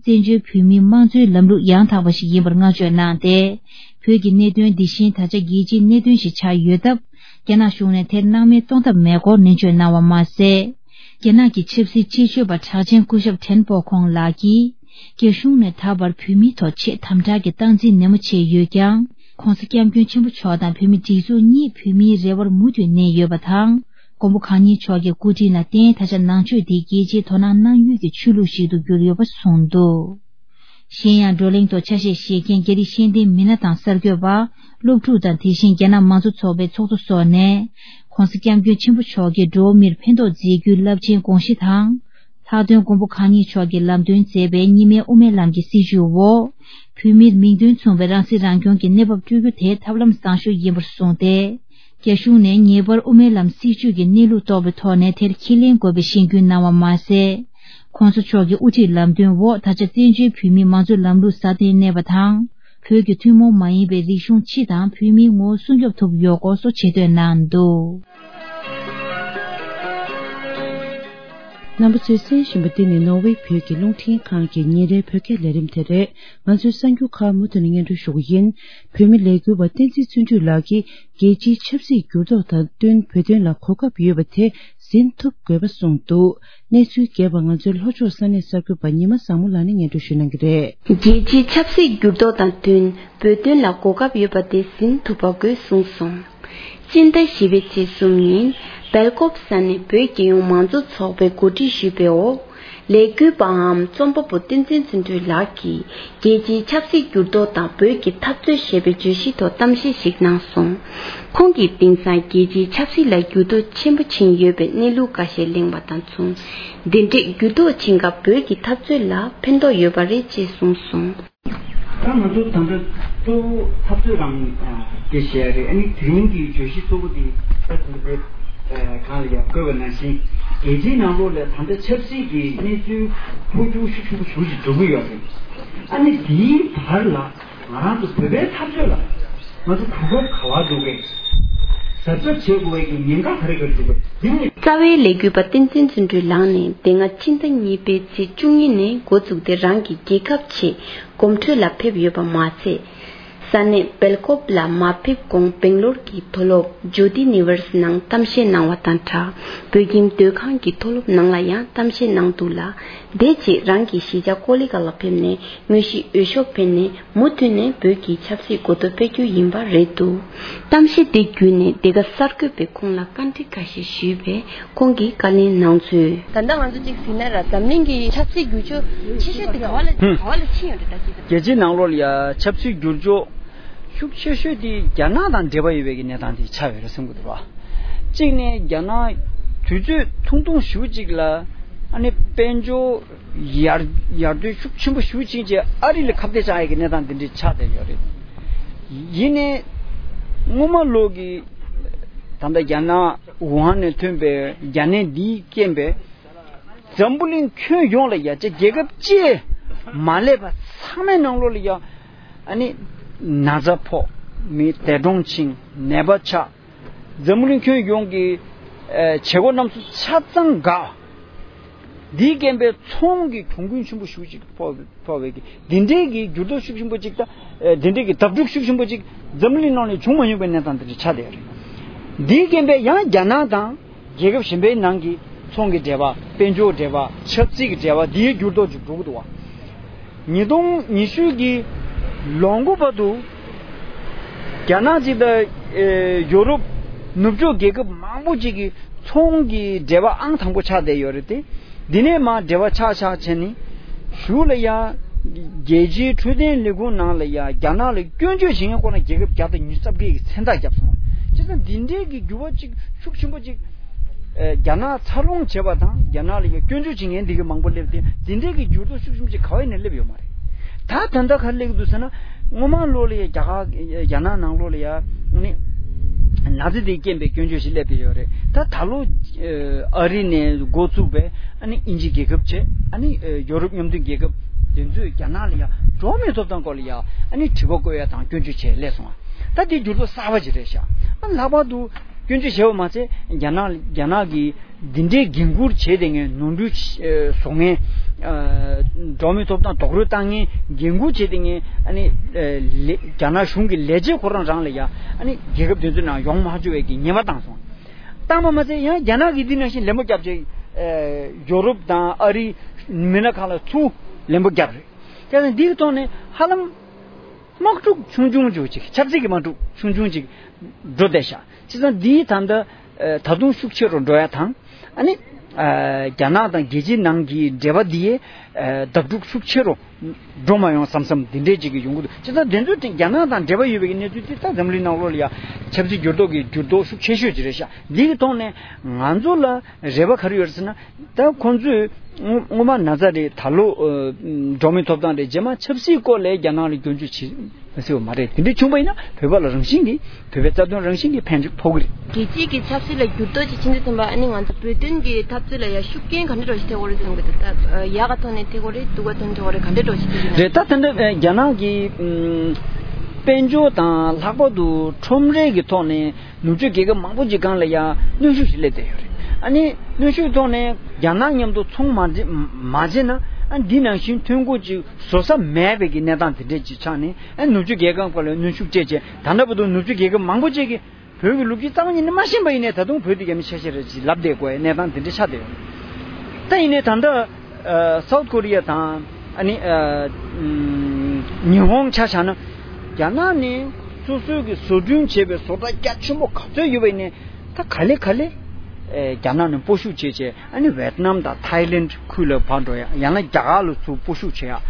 བཙན་བྱོལ་བོད་མིའི་དམངས་གཙོའི་ལམ་ལུགས་ཡང་དག་པ་ཞིག་ཡིན་པར་བསྔགས་བརྗོད་གནང་སྟེ། བོད་ཀྱི་གནད་དོན་འདི་བཞིན་ད་ཆ་རྒྱལ་སྤྱིའི་གནད་དོན་ཞིག་ཆགས་ཡོད་སྟབས། རྒྱ་ནག་གཞུང་ནས་དེར་སྣང་མེད་གཏོང་ཐབས་མེད་སྐོར་ནན་བརྗོད་གནང་བ་མ་ཟད། རྒྱ་ནག་གི་ཆབ་སྲིད་སྤྱི་སྤྱོད་པ་གྲགས་ཅན་སྐུ་ཞབས་ཁྲེན་པོ་ཁོང་ལགས་ཀྱིས། རྒྱ་གཞུང་ནས་ད་བར་བོད་མིའི་ཐོག་ཆེས་དམ་དྲག་གི་སྟངས་འཛིན་ནན་མོ་བྱས་ཡོད་ཀྱང་། ྋགོང་ས་ྋསྐྱབས་མགོན་ཆེན་པོ་མཆོག་དང་བོད་མིའི་སྒྲིག་འཛུགས་གཉིས་བོད་མིའི་རེ་བར་མུ་མཐུད་གནས་ཡོད་པ་དང་། མགོན་པོ་གང་ཉིད་མཆོག་གི་སྐུ་དྲིན་ལ་བརྟེན། ད་ཆ་ནང་ཆོས་དེ་རྒྱལ་སྤྱིའི་དོ་སྣང་གནང་ཡུལ་གྱི་ཆོས་ལུགས་ཤིག་ཏུ་གྱུར་ཡོད་པ་གསུངས་འདུག་གཞན་ཡང་བགྲོ་གླེང་ཐོག་ཆ་ཤས་བཞེས་མཁན་རྒྱ་རིགས་ཤེས་ལྡན་མི་སྣ་དང་གསར་འགོད་པ། སློབ་ཕྲུག་དང་། དེ་བཞིན་རྒྱ་ནག་མང་གཙོ་ཚོགས་པའི་ཚོགས་གཙོ་སོགས་ནས། ྋགོང་ས་ྋསྐྱབས་མགོན་ཆེན་པོ་མཆོག་གིས་འགྲོ་བ་མིར་ཕན་ཐོགས་མཛད་རྒྱུའི་རླབས་ཆེན་དགོངས་གཞི་དང་། ལྷག་དོན་མགོན་པོ་གང་ཉིད་མཆོག་གིས་ལམ་སྟོན་མཛད་པའི་གཉིས་སྨན་དབུ་མའི་ལམ་གྱི་སྲིད་བྱུས་འོག་བོད་མིར་མིང་དོན་མཚུངས་པའི་རང་སྲིད་རང་སྐྱོང་གི་གནས་བབ་སྤྲོད་རྒྱུ་དེ་ཐབས་ལམ་བཟང་ཤོས་ཡིན་པར་གསུངས་ཏེ། རྒྱ་གཞུང་ནས་ངེས་པར་དབུ་མའི་ལམ་སྲིད་བྱུས་ཀྱི་གནས་ལུགས་རྟོགས་པའི་ཐོག་ནས་དེར་ཁས་ལེན་དགོས་པའི་གཞེན་སྐུལ་གནང་བ་མ་ཟད། ྋགོང་ས་མཆོག་གི་དབུ་ཁྲིད་ལམ་སྟོན་འོག་ད་ཆ་བཙན་བྱོལ་བོད་མིའི་མང་གཙོའི་ལམ་ལུགས་སྲ་བརྟན་གནས་པ་དང་། བོད་ཀྱི་ཐུན་མོང་མ་ཡིན་པའི་རིག་གཞུང་སྤྱི་དང་བོད་མིའི་ངོ་བོ་སྲུང་སྐྱོབ་ཐུབ་ཡོད་སྐོར་སོགས་ཆེ་བསྟོད་གནང་འདུག་རྣམ་པ་ཚོས་གསན་བཞིན་པ་འདི་ནི་ནོར་ཝེ་བོད་ཀྱི་རླུང་འཕྲིན་ཁང་གི་ཉིན་རེའི་བོད་སྐད་ལས་རིམ་དེ་རེད། ང་ཚོའི་གསར་འགྱུར་ཁག་མུ་མཐུད་ནས་སྙན་སྒྲོན་ཞུ་གི་ཡིན། བོད་མི་ལས་འགུལ་བ་བསྟན་འཛིན་བརྩོན་འགྲུས་ལགས་ཀྱིས་རྒྱལ་སྤྱིའི་ཆབ་སྲིད་འགྱུར་ལྡོག་དང་བསྟུན་བོད་དོན་ལ་གོ་སྐབས་ཡོད་པ་དེ་ཟིན་ཐུབ་དགོས་པ་གསུངས་འདུག་གནས་ཚུལ་རྒྱས་པ་ང་ཚོའི་ལྷོ་ཕྱོགས་ས་གནས་གསར་འགོད་པ་ཉི་མ་བཟང་མོ་ལགས་ནས་སྙན་སྒྲོན་ཞུ་གནང་གི་རེད། རྒྱལ་སྤྱིའི་ཆབ་སྲིད་འགྱུར་ལྡོག་དང་བསྟུན་བོད་དོན་ལ་གོ་སྐབས་ཡོད་པ་དེ་ཟིན་ཐུབ་པ་དགོས་གསུངས་སོང་། སྤྱི་ཟླ་བཞི་པའི་ཚེས་གསུམ་ཉིན་སྦེལ་ཀོབ་ས་གནས་བོད་རྒྱལ་ཡོངས་མང་གཙོ་ཚོགས་པས་གོ་སྒྲིག་ཞུས་པའི་འོག་ལས་འགུལ་པའམ་རྩོམ་པ་པོ་བསྟན་འཛིན་བརྩོན་འགྲུས་ལགས་ཀྱིས་རྒྱལ་སྤྱིའི་ཆབ་སྲིད་འགྱུར་ལྡོག་དང་བོད་ཀྱི་འཐབ་རྩོད་ཞེས་པའི་བརྗོད་གཞིའི་ཐོག་གཏམ་བཤད་ཞིག་གནང་སོང་། ཁོང་གིས་དེང་སང་རྒྱལ་སྤྱིའི་ཆབ་སྲིད་ལ་འགྱུར་ལྡོག་ཆེན་པོ་ཕྱིན་ཡོད་པའི་གནས་ལུགས་འགའ་ཤས་གླེང་བ་དང་མཚུངས། འདི་འདྲའི་འགྱུར་ལྡོག་ཕྱིན་སྐབས་བོད་ཀྱི་འཐབ་རྩོད་ལ་ཕན་ཐོགས་ཡོད་པ་རེད་ཅེས་གསུངས་སོང་། ད་ང་ཚོ་ད་ལྟ་གཙོ་བོ་འཐབ་རྩོད་རང་དེ་བཤད་ཡ་རེད། ཨ་ནི་དེ་རིང་གི་བརྗོད་གཞི་གཙོ་བོ་དེ་ད་ལྟ་དེ་གང་ལ་ཡང་བཀོད་པ་ནང་བཞིན་རྒྱལ་སྤྱིའི་ནང་ལོགས་ལ་ད་ལྟ་ཆབ་སྲིད་ཀྱི་གནས་ཚུལ་འཕོ་འགྱུར་ཤུགས་ཆེན་པོ་ཞེ་པོ་ཅིག་འགྲོ་གི་ཡོད་རེད། ཨ་ནི་དེའི་བར་ལ་ང་རང་ཚོ་བོད་པའི་འཐབ་རྩོད་ལ་ང་ཚོ་གོ་སྐབས་ག་པར་འགྲོ་གི་རེད། གཟབ་གཟབ་བྱེད་དགོས་པའི་གི་ཉེན་ཁ་ག་རེ་ག་རེ་འདུག་ག་དེ་ནི། རྩ་བའི་ལས་འགུལ་པ་བསྟན་འཛིན་བརྩོན་འགྲུས་ལགས་ནས་དེ་སྔ་ཕྱི་ཟླ་གཉིས་པའི་ཚེས་བཅུ་གཉིས་ནས་འགོ་བཙུགས་ཏེ་རང་གི་རྒྱལ་ཁབ་ཆེད་གོམ་བགྲོད་ལ་ཕེབས་ཡོད་པ་མ་ཚད། ས་གནས་སྦེལ་ཀོབ་ལ་མ་ཕེབས་གོང་སྦེང་ལོར་གྱི་མཐོ་སློབ་ཇོ་ཏི་ནི་ཝར་སི་ནང་གཏམ་བཤད་གནང་བ་དང་སྦྲགས་བོད་ཁྱིམ་སྡོད་ཁང་གི་མཐོ་སློབ་ནང་ལ་ཡང་གཏམ་བཤད་གནང་འདུག་ལ། དེ་རྗེས་རང་གི་གཞིས་ཆགས་ཀོ་ལི་གྷལ་ལ་ཕེབས་ནས་དངོས་གཞིའི་འོས་ཤོག་འཕེན་ནས་མུ་མཐུད་ནས་བོད་ཀྱི་ཆབ་སྲིད་གོ་རྟོགས་སྤེལ་རྒྱུ་ཡིན་པ་རེད་འདུག་གཏམ་བཤད་དེ་བརྒྱུད་ནས་འདི་ག་གསར་འགོད་པས་ཁོང་ལ་བཀའ་འདྲི་འགའ་ཞིག་ཞུས་པས་ཁོང་གིས་བཀའ་ལན་གནང་ཚུལ། ད་ལྟ་ང་ཚོ་གཅིག་ཟིན་ན་ར་འཛམ་གླིང་གི་ཆབ་སྲིད་འགྱུར་ཕྱོགས་ཆེ་ཤོས་དེ་ག་བ་ལ་ཧུམ། ག་བ་ལ་ཕྱིན་ཡོད་རེད་ད་ཅི། རྒྱལ་སྤྱིའི་ནང་ལོགས་ལ་ཡ་ཆབ་སྲིད་འགྱུར་ཕྱོགས་ཤུགས་ཆེ་ཤོས་དེ་རྒྱ་ནག་དང་འབྲེལ་བ་ཡོད་པའི་གི་གནས་སྟངས་དེ་ཆགས་ཡོད་རེད་བསམ་གྱི་འདུག་བ། གཅིག་ནས་རྒྱ་ནག་དུས་ཚོད་ཐུང་ཐུང་ཞེ་པོ་ཅིག་ལ་ཨ་ནི་དཔལ་འབྱོར་ཡར་ཡར་ཐོན་ཤུགས་ཆེན་པོ་ཞེ་པོ་ཅིག་བྱས་ཨ་རི་ལ་ཁ་གཏད་བཅག་ཡས་ཀྱི་གནས་སྟངས་དེ་འདྲ་ཆགས་བསྡད་ཡོད་རེད། ཡིན་ནའི་སྔོན་མ་ལོག་གི་ད་ལྟ་རྒྱ་ནག་ཝུ་ཧན་ནས་ཐོན་པའི་རྒྱ་ནད་འདིའི་རྐྱེན་པས། འཛམ་བུ་གླིང་ཁྱོན་ཡོངས་ལ་ཡ་ཅེ་རྒྱལ་ཁབ་ཅེ་མ་ལས་པ་ཚང་མའི་ནང་ལོགས་ལ་ཡ་ཨ་ནི་ན་ཚ་ཕོག་མི་འདས་གྲོངས་ཕྱིན་ནད་པ་ཆགས། འཛམ་བུ་གླིང་ཁྱོན་ཡོངས་ཀྱི་ཨ་བྱེད་སྒོ་རྣམས་སུ་ཆ་ཚང་འགག་འདིའི་རྐྱེན་པས་ཚོང་གི་གྱོང་གུན་ཆེན་པོ་ཞེ་པོ་ཅིག་ཕོག་ཕོག་པའི་གི་འདི་འདྲའི་གི་འགྱུར་ལྡོག་ཤུགས་ཆེན་པོ་ཅིག་དང་། ཨེ་དེ་འདྲའི་གི་བརྡབ་གྲུབ་ཤུགས་ཆེན་པོ་ཅིག་འཛམ་གླིང་ནང་ནས་བྱུང་མ་མྱོང་པའི་གནས་སྟངས་དེ་འདྲ་ཆགས་བསྡད་ཡོད་རེད། འདིའི་རྐྱེན་པས་ཡང་རྒྱ་ནག་དང་རྒྱལ་ཁབ་གཞན་པའི་ནང་གི་ཚོང་གི་འབྲེལ་བ། དཔལ་འབྱོར་འབྲེལ་བ། ཆབ་སྲིད་ཀྱི་འབྲེལ་བ་འདིའི་འགྱུར་ལྡོག་ཅིག་འགྲོ་གི་འདུག་བ། ཉིས་སྟོང་ཉི་ཤུ་གི་ལོ་མགོ་བར་དུ་རྒྱ་ནག་ཅིག་དང་ཨེ་ཡོ་རོབ་ནུབ་ཕྱོགས་རྒྱལ་ཁབ་མང་པོ་ཅིག་གི་ཚོང་གི་འབྲེལ་བ་ཨང་དང་པོ་ཆགས་བསྡད་ཡོད་རེད་དེ། འདི་ནས་མར་འབྲེལ་བ་ཆགས་ཆགས་བྱས་ནས་གཞུག་ལ་ཡང་རྒྱལ་སྤྱིའི་འཕྲོད་བསྟེན་ལས་ཁུངས་ནང་ལ་ཡང་རྒྱ་ནག་ལ་སྐྱོན་བརྗོད་བྱེད་མཁན་ཁོ་ན་རྒྱལ་ཁབ་བརྒྱ་དང་ཉི་ཤུ་རྩ་བརྒྱད་ཀྱིས་མཚན་རྟགས་བརྒྱབ་སོང་བ། བྱས་ཙང་འདི་འདྲའི་གི་འགྱུར་བ་གཅིག་ཤུགས་ཆེན་པོ་གཅིག་ཨེ་རྒྱ་ནག་འཚར་ལོངས་བྱེད་པ་དང་རྒྱ་ནག་ལ་ཡང་སྐྱོན་བརྗོད་བྱེད་མཁན་འདི་གི་མང་པོ་སླེབས་ཏེ་འདི་འདྲའི་གི་འགྱུར་ལྡོག་ཤུགས་ཆེན་པོ་གཅིག་ག་བ་ནས་སླེབས་ཡོད་མ་རེད། ད་ད་ལྟ་ག་རེ་སླེབས་ཀྱི་འདུག་ཟེར་ན་སྔོན་མ་ལོ་ལ་ཡང་རྒྱ་གར་རྒྱ་ནག་ནང་ལོགས་ལ་ཡང་ནི། ན་ཚ་དེའི་རྐྱེན་པས་སྐྱོན་བརྗོད་ཞིག་སླེབས་ཏེ་ཡོད་རེད། ད་ད་ལོ་ཨ་རི་ནས་འགོ་བཙུགས་པའི་ཨ་ནི་དབྱིན་ཇི་རྒྱལ་ཁབ་བྱས། ཨ་ནི་ཡོ་རོབ་མཉམ་འབྲེལ་རྒྱལ་ཁབ་དེ་ཚོས་རྒྱ་ནག་ལ་ཡང་འགྲོ་བ་མིའི་ཐོབ་ཐང་སྐོར་ལ་ཡང་ཨ་ནི་དྲི་བ་བཀོད་ཡ་དང་སྐྱོན་བརྗོད་བྱས་སླེབས་སོང་། ད་དེ་འགྱུར་ལྡོག་གསར་པ་ཅིག་རེད་ཤག་ཨ་ལྷག་པར་དུ་སྐྱོན་བརྗོད་བྱས་པ་མ་ཚད་རྒྱ་ནག་རྒྱ་ནག་གིས་འདི་འདྲའི་འགན་འཁུར་བྱས་ཏེ་ངས་ནོར་འཁྲུལ་བཟོ་མཁན། འགྲོ་བ་མིའི་ཐོབ་ཐང་རྡོག་རོལ་བཏང་མཁན་འགན་འཁུར་བྱས་ཏེ་ངས་ཨ་ནི་རྒྱ་ནག་གཞུང་གི་ལས་བྱེད་ཁོ་རང་རང་ལ་ཡང་ཨ་ནི་རྒྱལ་ཁབ་དེ་ཚོའི་ནང་ཡོང་མ་བཅུག་པའི་གི་ཉེས་པ་བཏང་སོང་། བཏང་པ་མ་ཚད་ཡང་རྒྱ་ནག་གིས་འདི་ནང་བཞིན་ལན་པོ་བརྒྱབ་བྱས། ཡོ་རོབ་དང་ཨ་རི་མི་སྣ་ཁག་ལ་ཚུར་ལན་པོ་བརྒྱབ་རེད། དེ་ནས་འདིའི་ཐོག་ནས་ཧ་ལམ། དམག་འཁྲུག་ཆུང་ཆུང་ཅིག་ཅིག་ཆབ་སྲིད་ཀྱི་དམག་འཁྲུག་ཆུང་ཆུང་ཅིག་འགྲོ་བསྡད་ཤག་བྱས་ཙང་འདིའི་ད་ལྟ་ད་དུང་ཤུགས་ཆེ་རུ་འགྲོ་ཡ་དང་། ཨ་ནི་རྒྱ་ནག་དང་རྒྱལ་སྤྱིའི་ནང་གི་འབྲེལ་བ་འདི་ཡས་ལྡབ་འཁྲུག་ཤུགས་ཆེ་རུ་འགྲོ་མ་ཡོང་བསམ་བསམ་འདི་འདྲས་ཅིག་གི་ཡོང་གི་འདུག་བྱས་ཙང་དེ་ཚོ་དེ་རྒྱ་ནག་དང་འབྲེལ་བ་ཡོད་པའི་གནས་ཚུལ་དེ་ད་འཛམ་གླིང་ནང་ལོགས་ལ་ཡ་ཆབ་སྲིད་འགྱུར་ལྡོག་གི་འགྱུར་ལྡོག་ཤུགས་ཆེ་ཤོས་ཅིག་རེད་ཤག་འདི་གི་ཐོག་ནས་ང་ཚོ་ལ་རེ་བ་ག་རེ་ཡོད་རེད་ཟེར་ན། ད་ཁོང་ཚོས་སྔོན་སྔོན་མ་ན་ཚ་རེད། ད་ལོ་འགྲོ་བ་མིའི་ཐོབ་ཐང་རེད། རྗེས་མ་ཆབ་སྲིད་སྐོར་ལ་རྒྱ་ནག་ལ་སྐྱོན་བརྗོད་བྱེད་མི་སྲིད་པ་མ་རེད། དེ་འདྲ་བྱུང་པ་ཡིན་ན་བོད་པ་ལ་རང་བཞིན་གྱིས་བོད་པའི་རྩ་དོན་རང་བཞིན་གྱིས་ཕན་ཐོགས་ཀྱི་རེད། རྒྱལ་སྤྱིའི་གི་ཆབ་སྲིད་ལ་འགྱུར་ལྡོག་ཅིག་ཕྱིན་དུས་ཙམ་པ་ཨ་ནི་ང་ཚོ་བོད་དོན་གྱི་འཐབ་རྩོད་ལ་ཡ་ཤུགས་རྐྱེན་ག་འདྲ་འདྲ་ཞིག་ཐེབས་ཀྱི་རེད་བསམ་གྱི་འདུག་ད་ཡག་ག་ཐོག་ནས་ཐེབས་ཀྱི་རེད། སྡུག་ག་ཐོག་ནས་ཐེབས་ཀྱི་རེད། ག་འདྲ་འདྲ་ཞིག་ཐེབས་ཀྱི་རེད། རེད། ད་ད་ལྟ་རྒྱ་ནག་གི་དཔལ་འབྱོར་དང་ལྷག་པར་དུ་ཁྲོམ་རའི་གི་ཐོག་ནས། ནུབ་ཕྱོགས་རྒྱལ་ཁབ་མང་པོ་ཅིག་སྒང་ལ་ཡང་གནོན་ཤུགས་ཤིག་སླེབས་བསྡད་ཡོད་རེད། ཨ་ནི་གནོན་ཤུགས་ཐོག་ནས་རྒྱ་ནག་མཉམ་དུ་ཚོང་མ་བྱེད་མ་བྱེད་ན། ཨ་འདི་ནང་བཞིན་ཐོན་ཁུངས་ཅིག་བཟོ་ས་མེད་པའི་གི་གནས་སྟངས་དེ་འདྲས་ཅིག་ཆགས་ནས། ཨ་ནུབ་ཕྱོགས་རྒྱལ་ཁབ་སྒང་ལ་གནོན་ཤུགས་སྤྲད་བྱས། ད་ལྟ་བར་དུ་ནུབ་ཕྱོགས་རྒྱལ་ཁབ་མང་པོ་ཅིག་གིས་བོད་ཀྱི་ལོ་རྒྱུས་རྩ་བ་ཉིད་ནས་མ་ཤེས་པ་ཡིན་ནའི་ད་དུང་བོད་དེ་ཡ་མི་ཆ་ཤས་རེད་ཅེས་ལབ་བསྡད་དགོས་པའི་གནས་སྟངས་དེ་འདྲ་ཆགས་བསྡད་ཡོད། ད་ཡིན་ནའི་ད་ལྟ་ཨ་སའུ་ཐི་ཀོ་རི་ཡ་དང་ཨ་ནི་ཨ་ཉི་ཧོང་ཆ་བཞག་ན། རྒྱ་ནག་ནས་སོ་སོའི་གི་བཟོ་སྐྲུན་བྱས་པའི་བཟོ་གྲྭ་རྒྱ་ཆེན་པོ་ག་ཚོད་ཡོད་པ་ཡིན་ནའི་ད་ག་ལེ་ག་ལེ་ཨེ་རྒྱ་ནག་ནས་སྤོ་ཤུགས་བྱས་བྱས། ཨ་ནི་ཝེད་ནམ་དང་ཐའི་ལེན་ཁུལ་ལ་ཕར་འགྲོ་ཡ། ཡང་ན་རྒྱ་གར་ལ་ཚུར་སྤོ་ཤུགས་བྱེད་ཡ།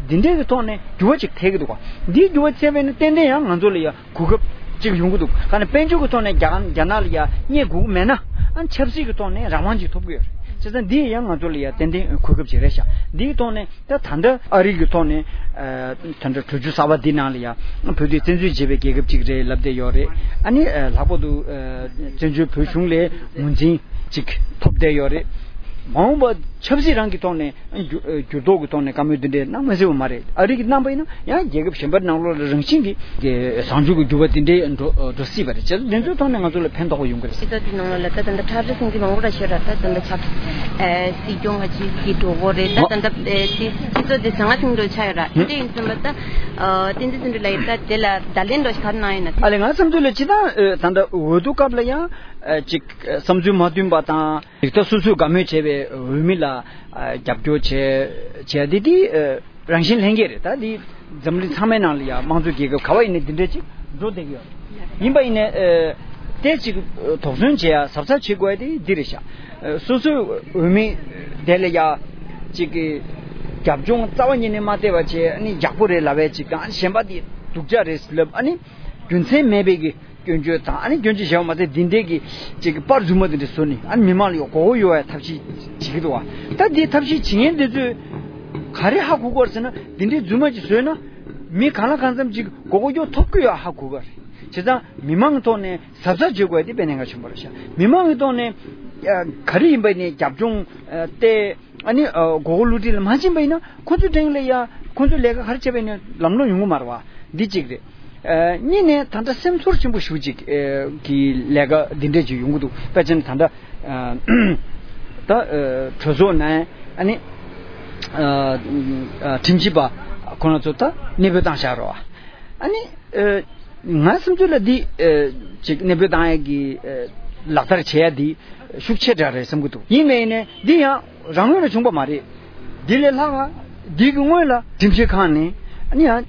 འདི་འདྲའི་གི་ཐོག་ནས་འགྱུར་བ་ཅིག་ཐེབས་ཀྱི་འདུག་ག་འདིའི་འགྱུར་བ་ཐེབས་པ་ཡིན་ན་ཏན་ཏན་ཡང་ང་ཚོ་ལ་ཡ་གོ་སྐབས་ཅིག་ཡོང་གི་འདུག་ག་ནས་དཔལ་འབྱོར་གྱི་ཐོག་ནས་རྒྱ་རྒྱ་ནག་ལ་ཡ་རྙེད་དགོས་ཀྱི་མེད་ན། ཨ་ཆབ་སྲིད་ཀྱི་ཐོག་ནས་རང་དབང་ཅིག་ཐོབ་ཀྱི་ཡོད་རེད། བྱས་ཙང་འདི་ཡང་ང་ཚོ་ལ་ཡ་ཏན་ཏན་གོ་སྐབས་ཅིག་རེད་ཤག་འདིའི་ཐོག་ནས་ད་ད་ལྟ་ཨ་རི་གི་ཐོག་ནས་ཨ་ད་ལྟ་གྲོས་ཆོད་གསར་པ་འདི་ནང་ལ་ཡ་བོད་དོན་བཙན་འཛུལ་བྱས་པའི་རྒྱལ་ཁབ་ཅིག་རེད་ལབ་བསྡད་ཡོད་རེད། ཨ་ནི་ཨ་ལྷག་པར་དུ་ཨ་བཙན་བྱོལ་བོད་གཞུང་ལས་ངོས་འཛིན་ཅིག་ཐོབ་བསྡད་ཡོད་རེད། མ་འོངས་པ་ཆབ་སྲིད་རང་གི་ཐོག་ནས་འགྱུར་འགྱུར་ལྡོག་གི་ཐོག་ནས་བཀའ་མོལ་འདི་འདྲའི་གནང་མ་སྲིད་པ་མ་རེད། ཨ་རི་གིས་གནང་པ་ཡིན་ན་ཡང་རྒྱལ་ཁབ་གཞན་པ་ནང་ལོགས་ལ་རང་བཞིན་གྱིས་གི་བཟང་སྤྱོད་ཀྱི་འགྱུར་བ་འདི་འདྲའི་འགྲོ་འགྲོ་སྲིད་པ་རེད། བྱས་ཙང་འདི་ཚོའི་ཐོག་ནས་ང་ཚོ་ལ་ཕན་ཐོགས་པ་ཡོང་གི་རེད། སྤྱི་ཚོགས་འདི་ནང་ལོགས་ལ་ད་ད་ལྟ་འཁྲབ་རྩོད་སེམས་ཁྲལ་མང་པོ་ར་ཤོད་ར། ད་ད་ལྟ་ཆབ་སྲིད་སྲིད་སྐྱོང་ག་ཅིག་གི་འགྲོ་གི་རེད། ད་ད་ལྟ་སྤྱི་ཚོགས་འདི་ཟང་ངེ་ཟིང་འགྲོ་ཆགས་ཡོད་ར། དེ་འདྲ་ཡིན་ཙམ་པ་ད་བསྟན་འཛིན་བརྩོན་འགྲུས་ལགས་ཡིས་ད་དེ་ལ་བརྡ་ལན་འདྲ་ཞིག་ག་རེ་གནང་ཡོད་ན། ཨ་ལས་ང་བསམ་ཚུལ་ལ་སྤྱིར་བཏང་ད་ལྟ་འོས་བསྡུ་སྐབས་ལ་ཡང་ཅིག་བསམ་ཚུལ་མ་མཐུན་པ་དང་། ད་སོ་སོས་དགའ་མོས་བྱས་པའི་འོས་མི་ལ་ཨ་རྒྱབ་སྐྱོར་བྱས་བྱས་དེ་དེ་ཨ་རང་བཞིན་ལྷན་སྐྱེས་རེད། ད་དེ་འཛམ་གླིང་ཚང་མའི་ནང་ལ་ཡང་དམངས་གཙོ་རྒྱལ་ཁབ་ག་བ་ཡིན་ནའི་འདི་འདྲ་ཅིག་འགྲོ་བསྡད་ཀྱི་ཡོད་རེད། ཡིན་པ་ཡིན་ནའི་ཨ་དེ་ཅིག་དོགས་ཟོན་བྱེད་ཡ་གཟབ་གཟབ་བྱེད་དགོས་ཡ་དེ་འདི་རེད་ཤག་ཨ་སོ་སོའི་འོས་མི་དེ་ལ་ཡ་ཅིག་གི་རྒྱབ་ལྗོངས་རྩ་བ་ཉིད་ནས་མ་བལྟས་པ་བྱས། ཨ་ནི་ཡག་པོ་རེད་ལབ་ཡ་ཅིག་དང་། གཞན་པ་དེ་སྡུག་ཅག་རེད་ལབ། ཨ་ནི་རྒྱུ་མཚན་མེད་པའི་གི་སྐྱོན་བརྗོད་དང་། ཨ་ནི་སྐྱོན་བརྗོད་བྱས་པ་མ་ཟད་འདི་འདྲའི་གི་ཅིག་གི་པར་རྫུན་མ་འདི་འདྲ་བཟོས་ནས། ཨ་ནི་མི་མང་ལ་ཡང་མགོ་སྐོར་གཡོག་ཡ་ཐབས་ཤེས་བྱེད་ཀྱི་འདུག་བ། ད་འདི་ཐབས་ཤེས་བྱེད་མཁན་འདི་ཚོས་ག་རེ་ཧ་གོ་གི་ཡོད་རེད་ཟེར་ན། འདི་འདྲའི་རྫུན་མ་ཅིག་བཟོས་ན་མི་གང་ལ་གང་འཚམ་ཅིག་མགོ་སྐོར་གཡོག་ཐུབ་ཀྱི་ཡོད་ཧ་གོ་གི་ཡོད་རེད། བྱས་ཙང་མི་མང་གི་ཐོག་ནས་གཟབ་གཟབ་བྱེད་དགོས་ཡ་དེ་དཔེ་གནད་འགག་ཆེན་པོ་རེད་ཤག་མི་མང་གི་ཐོག་ནས་ཨ་ག་རེ་ཡིན་པ་ནས་རྒྱབ་ལྗོངས་ཨ་བལྟས། ཨ་ནི་ཨ་མགོ་སྐོར་བསླུ་བྲིད་ལ་མ་ཕྱིན་པ་ཡིན་ན། ཁོ་ཚོའི་འགྲེང་ལ་ཡ་ཁོ་ཚོས་ལས་ཀ་ག་རེ་བྱས་པ་ཡིན་ནའི་ལམ་ལྷོང་ཡོང་གི་མ་རེད་བ། འདི་གཅིག་རེད། ཨ་གཉིས་ནས་ད་ལྟ་སེམས་ཚོར་ཆེན་པོ་ཞེ་པོ་ཅིག་ཨ་གི་ལས་ཀ་འདི་འདྲས་ཅིག་ཡོང་གི་འདུག་དཔེ་ཆ་ནི་ད་ལྟ་ཨ་ད་ཨ་གྲོས་ཚོགས་ནང་ཨ་ནི་ཨ་ཨ་ཁྲིམས་ཞིབ་པ་ཁོ་རང་ཚོ་ད་གནས་སྤོས་བཏང་བཞག་རེད་བ། ཨ་ནི་ཨ་ང་བསམ་ཚུལ་ལ་འདི་ཨ་ཅིག་གནས་སྤོས་བཏང་ཡ་གི་ཨ་ལག་བསྟར་བྱེད་ཡ་འདི་ཤུགས་ཆེ་དྲགས་རེད་བསམ་གྱི་འདུག་ཡིན་ནའི་ཡིན་ནའི་འདི་ཡང་རང་ངོས་ནས་བྱུང་པ་མ་རེད། འདི་ལས་ལྷག་ག་འདི་གི་སྔོན་ལ་ཁྲིམས་ཞིབ་ཁང་ནས་ཨ་ནི་ཡང་ཨ་ཨ་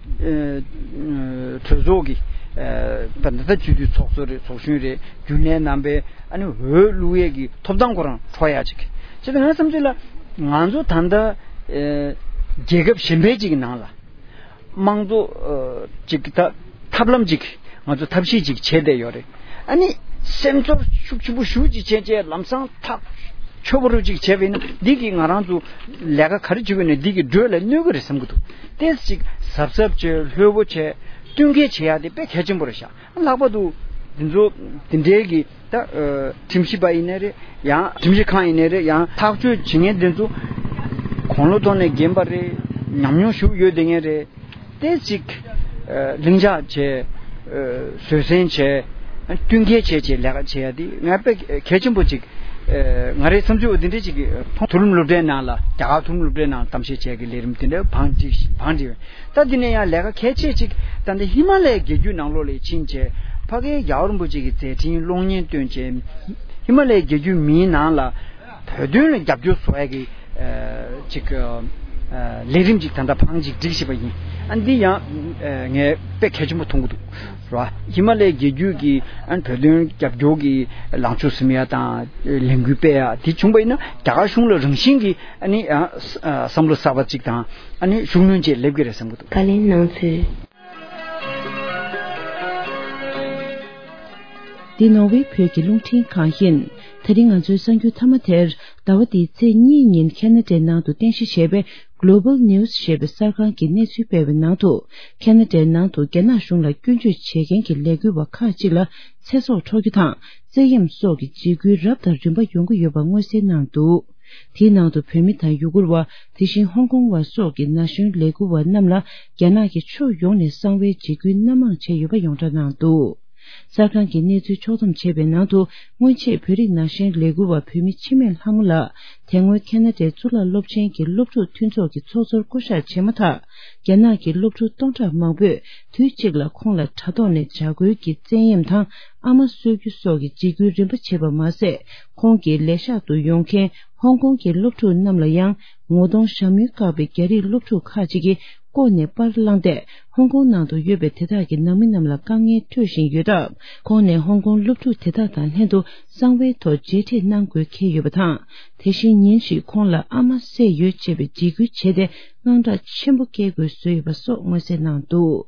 གྲོས་ཚོགས་ཀྱི་ཨ་ད་ལྟ་སྤྱི་འཐུས་ཚོགས་གཙོ་རེད། ཚོགས་གཞོན་རེད། རྒྱུན་ལས་རྣམ་པས་ཨ་ནི་འོས་བླུག་ཡས་ཀྱི་ཐོབ་ཐང་ཁོ་རང་འཕྲོག་ཡ་ཅིག་བྱས་ཙང་ང་བསམ་ཚུལ་ལ་ང་ཚོ་ད་ལྟ་ཨ་རྒྱལ་ཁབ་གཞན་པའི་ཅིག་གི་ནང་ལ། དམངས་གཙོ་ཨ་ཅིག་ད་ཐབས་ལམ་ཅིག་ང་ཚོ་ཐབས་ཤེས་ཅིག་བྱས་བསྡད་ཡོད་རེད། ཨ་ནི་སེམས་ཚོར་ཤུགས་ཆེན་པོ་ཞེ་པོ་ཅིག་བྱས་བྱས་ལམ་སང་ཐག་ཆོད་པོ་རུ་ཅིག་བྱས་པ་ཡིན་ན། འདི་གིས་ང་རང་ཚོ་ལས་ཀ་ག་རེ་བྱེད་དགོས་ན་འདི་གིས་འགྲོས་ལ་གནོད་ཀྱི་རེད་བསམ་གྱི་འདུག་ཏོག་ཙམ་ཅིག་གཟབ་གཟབ་བྱས། ལྷོད་པོ་བྱས། བསྟུན་མཁས་བྱེད་ཡ་དེ་དཔེ་གལ་ཆེན་པོ་རེད་ཤག་ལྷག་པར་དུ་ འདི་ཚོ་འདི་འདྲའི་གི་ད་ཨ་ཁྲིམས་ཞིབ་པ་ཡིན་ནའི་རེད། ཡང་ཁྲིམས་ཞིབ་ཁང་ཡིན་ནའི་རེད། ཡང་ཐག་གཅོད་བྱེད་མཁན་འདི་ཚོ་དགུང་ལོ་ཐོག་ནས་རྒན་པ་རེད། ཉམས་མྱོང་ཞུགས་ཡོད་དེ་ངན་རེད། ཏེ་ཅིག་ཨ་ལྷིང་འཇགས་བྱས། ཨ་བཟོད་བསྲན་བྱས། ཨ་བསྟུན་མཁས་བྱས་བྱས་ལས་ཀ་བྱེད་ཡ་དེ་ང་དཔེ་གལ་ཆེན་པོ་ཅིག་ཨ་ང་རའི་བསམ་ཚུལ་འོ་དེ་འདྲས་ཅིག་མཐོང་། མཐོ་རིམ་སློབ་གྲྭའི་ནང་ལ། རྒྱ་གར་མཐོ་རིམ་སློབ་གྲྭའི་ནང་གཏམ་བཤད་བྱས་ཀྱི་ལས་རིམ་དེ་འདྲ་བང་ཅིག་བང་ཅིག་ད་དེ་ནས་ཡང་ལས་ཀ་གལ་ཆེ་ཅིག་ད་ལྟ་ཧི་མ་ལ་ཡའི་རྒྱལ་རྒྱུད་ནང་ལོགས་ལ་ཕྱིན་བྱས། ཕ་གིའི་རྒྱལ་བ་རིན་པོ་ཆེ་གི་མཛད་འཕྲིན་གློག་བརྙན་སྟོན་བྱས། ཧི་མ་ལ་ཡའི་རྒྱལ་རྒྱུད་མིའི་ནང་ལ་བོད་དོན་ལ་རྒྱབ་སྐྱོར་བཟོ་ཡ་གི་ཨ་ཅིག་ཨ་ལས་རིམ་ཅིག་ད་ལྟ་བང་ཅིག་སྒྲིག་བཞིན་པ་ཡིན། ཨ་འདི་ཡང་ཨ་ངས་དཔེ་གལ་ཆེན་པོ་མཐོང་གི་འདུག་ར། ཧི་མ་ལ་ཡའི་རྒྱལ་རྒྱུད་ཀྱི་ཨ་བོད་དོན་རྒྱབ་སྐྱོར་གྱི་ལངས་ཕྱོགས་ཟིན་ཡ་དང་ལས་འགུལ་སྤེལ་ཡ་དེ་བྱུང་པ་ཡིན་ན། རྒྱ་གར་གཞུང་ལ་རང་བཞིན་གྱིས་ཨ་ནི་ཨ་བསམ་བློ་གསར་པ་ཅིག་དང་ཨ་ནི་ཤུགས་སྣོན་བཅས་སླེབས་ཀྱི་རེད་བསམ་གྱི་འདུག། བཀའ་ལན་གནང་ཚུལ། འདི་ནོར་ཝེ་བོད་ཀྱི་རླུང་འཕྲིན་ཁང་ཡིན། དེ་རིང་ང་ཚོའི་གསར་འགྱུར་མཐའ་མ་དེར། ཟླ་བ་འདིའི་ཚེས་གཉིས་ཉིན་ཁེ་ན་ཌའི་ནང་དུ་རྟེན་གཞི་བྱས་པའི་Global News ཞེས་པའི་གསར་ཁང་གིས་གནས་ཚུལ་སྤེལ་བའི་ནང་དུ། ཁེ་ན་ཌའི་ནང་དུ་རྒྱ་ནག་གཞུང་ལ་སྐྱོན་བརྗོད་བྱེད་མཁན་གྱི་ལས་འགུལ་བ་ཁག་ཅིག་ལ་ཚེ་སྲོག་འཕྲོག་རྒྱུ་དང་བཙན་གཡེམ་སོགས་ཀྱི་འཇིགས་སྐུལ་རབ་དང་རིམ་པ་ཡོང་གི་ཡོད་པ་མངོན་གསལ་གནང་འདུག། དེའི་ནང་དུ་བོད་མི་དང་ཡུ་གུར་བ། དེ་བཞིན་ཧོང་ཀོང་བ་སོགས་ཀྱི་ན་གཞོན་ལས་འགུལ་བ་རྣམས་ལ་རྒྱ་ནག་གིས་ཕྱོགས་ཡོངས་ནས་གསང་བའི་འཇིགས་སྐུལ་སྣ་མང་བྱས་ཡོད་པ་ཡོངས་གྲགས་གནང་འདུག། གསར་ཁང་གིས་གནས་ཚུལ་ཕྱོགས་བསྡོམས་བྱས་པའི་ནང་དུ། སྔོན་ཆད་བོད་རིགས་ན་གཞོན་ལས་འགུལ་བ་བོད་མི་འཆི་མེད་ལྷ་མོ་ལགས་དེ་སྔོན་ཁེ་ན་ཌའི་གཙུག་ལག་སློབ་ཆེན་གྱི་སློབ་ཕྲུག་མཐུན་ཚོགས་ཀྱི་ཚོགས་གཙོར་བསྐོ་གཞག་བྱས་མ་ཐག། རྒྱ་ནག་གི་སློབ་ཕྲུག་སྟོང་ཕྲག་མང་པོས་དུས་གཅིག་ལ་ཁོང་ལ་དྲ་ཐོག་ནས་དྲ་རྒོལ་གྱི་བཙན་གཡེམ་དང་ཨ་མ་གསོད་རྒྱུ་སོགས་ཀྱི་འཇིགས་སྐུལ་རིམ་པ་བྱས་པ་མ་ཟད། ཁོང་གི་ལས་ཤག་ཏུ་ཡོང་མཁན་ཧོང་ཀོང་གི་སློབ་ཕྲུག་རྣམས་ལ་ཡང་ངོ་གདོང་ཞྭ་མོའི་བཀག་པའི་རྒྱ་རིགས་སློབ་ཕྲུག་ཁག་ཅིག་གིས་ལྐོག་ནས་པར་བླངས་ཏེ། ཧོང་ཀོང་ནང་དུ་ཡོད་པའི་དེ་དག་གི་ནང་མི་རྣམས་ལ་དཀའ་ངལ་སྤྲོད་བཞིན་ཡོད་སྟབས། ཁོང་ནས་ཧོང་ཀོང་སློབ་ཕྲུག་དེ་དག་དང་ལྷན་དུ་གསང་བའི་ཐོག་མཇལ་འཕྲད་གནང་དགོས་འཁེལ་ཡོད་པ་དང་། དེ་བཞིན་ཉིན་ཞིག་ཁོང་ལ་ཨ་མ་བསད་ཡོད་ཅེས་པའི་འཇིགས་སྐུལ་བྱས་ཏེ། དངངས་སྐྲག་ཆེན་པོ་སྐྱེ་དགོས་བཟོས་ཡོད་པ་སོགས་མངོན་གསལ་གནང་འདུག།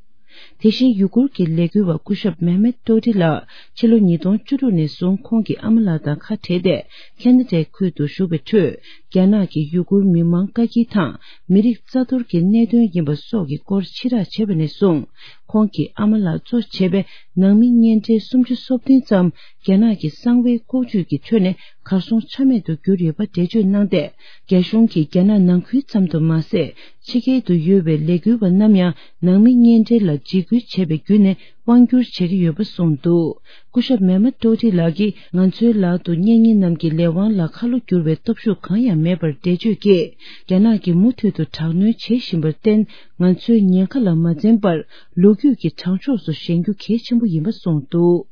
དེ་བཞིན་ཡུ་གུར་གྱི་ལས་འགུལ་བ་སྐུ་ཞབས་མེ་མེད་ཏོ་ཏི་ལགས་ཕྱི་ལོ་ཉིས་སྟོང་བཅུ་དྲུག་ནས་བཟུང་ཁོང་གི་ཨ་མ་ལགས་དང་ཁ་བྲལ་ཏེ། ཁེ་ན་ཌའི་ཁུལ་དུ་བཞུགས་པའི་ཁྲོད། རྒྱ་ནག་གི་ཡུ་གུར་མི་མང་བཀའ་འགྱུར་དང་མི་རིགས་རྩ་གཏོར་གྱི་གནད་དོན་ཡིན་པ་སོགས་ཀྱི་སྐོར་ཕྱི་བསྒྲགས་བྱས་པ་ནས་བཟུང་། ཁོང་གི་ཨ་མ་ལགས་གཙོ་བྱས་པའི་ནང་མི་གཉེན་འབྲེལ་སུམ་ཅུ་སོ་བདུན་ཙམ་རྒྱ་ནག་གི་གསང་བའི་ལྐོག་ཇུས་ཀྱི་ཁྲོད་ནས་གར་སོང་ཆ་མེད་དུ་གྱུར་ཡོད་པ་འགྲེལ་བརྗོད་གནང་སྟེ། རྒྱ་གཞུང་གིས་རྒྱ་ནག་ནང་ཁུལ་ཙམ་དུ་མ་ཟད། ཕྱི་རྒྱལ་དུ་ཡོད་པའི་ལས་འགུལ་བ་རྣམས་ཡང་ནང་མི་གཉེན་འབྲེལ་ལ་འཇིགས་སྐུལ་བྱས་པའི་བརྒྱུད་ནས་དབང་བསྒྱུར་བྱེད་ཀྱི་ཡོད་པ་གསུངས་འདུག། སྐུ་ཞབས་མེ་མ་ཏོ་ཏི་ལགས་ཀྱིས། ང་ཚོའི་ལག་ཏུ་གཉེན་ཉེ་རྣམས་ཀྱི་ལས་དབང་ལ་ཁ་ལོ་བསྒྱུར་བའི་སྟོབས་ཤུགས་གང་ཡང་མེད་པར་འགྲེལ་བརྗོད་ཀྱིས། རྒྱ་ནག་གིས་མུ་མཐུད་དུ་དྲག་གནོན་བྱེད་བཞིན་པར་བརྟེན། ང་ཚོས་ཉེན་ཁ་ལ་མ་འཛེམས་པར་ལོ་རྒྱུས་ཀྱི་དྲང་ཕྱོགས་སུ་བཞེངས་རྒྱུ་གལ་ཆེན་པོ་ཡིན་པ་གསུངས་འདུག།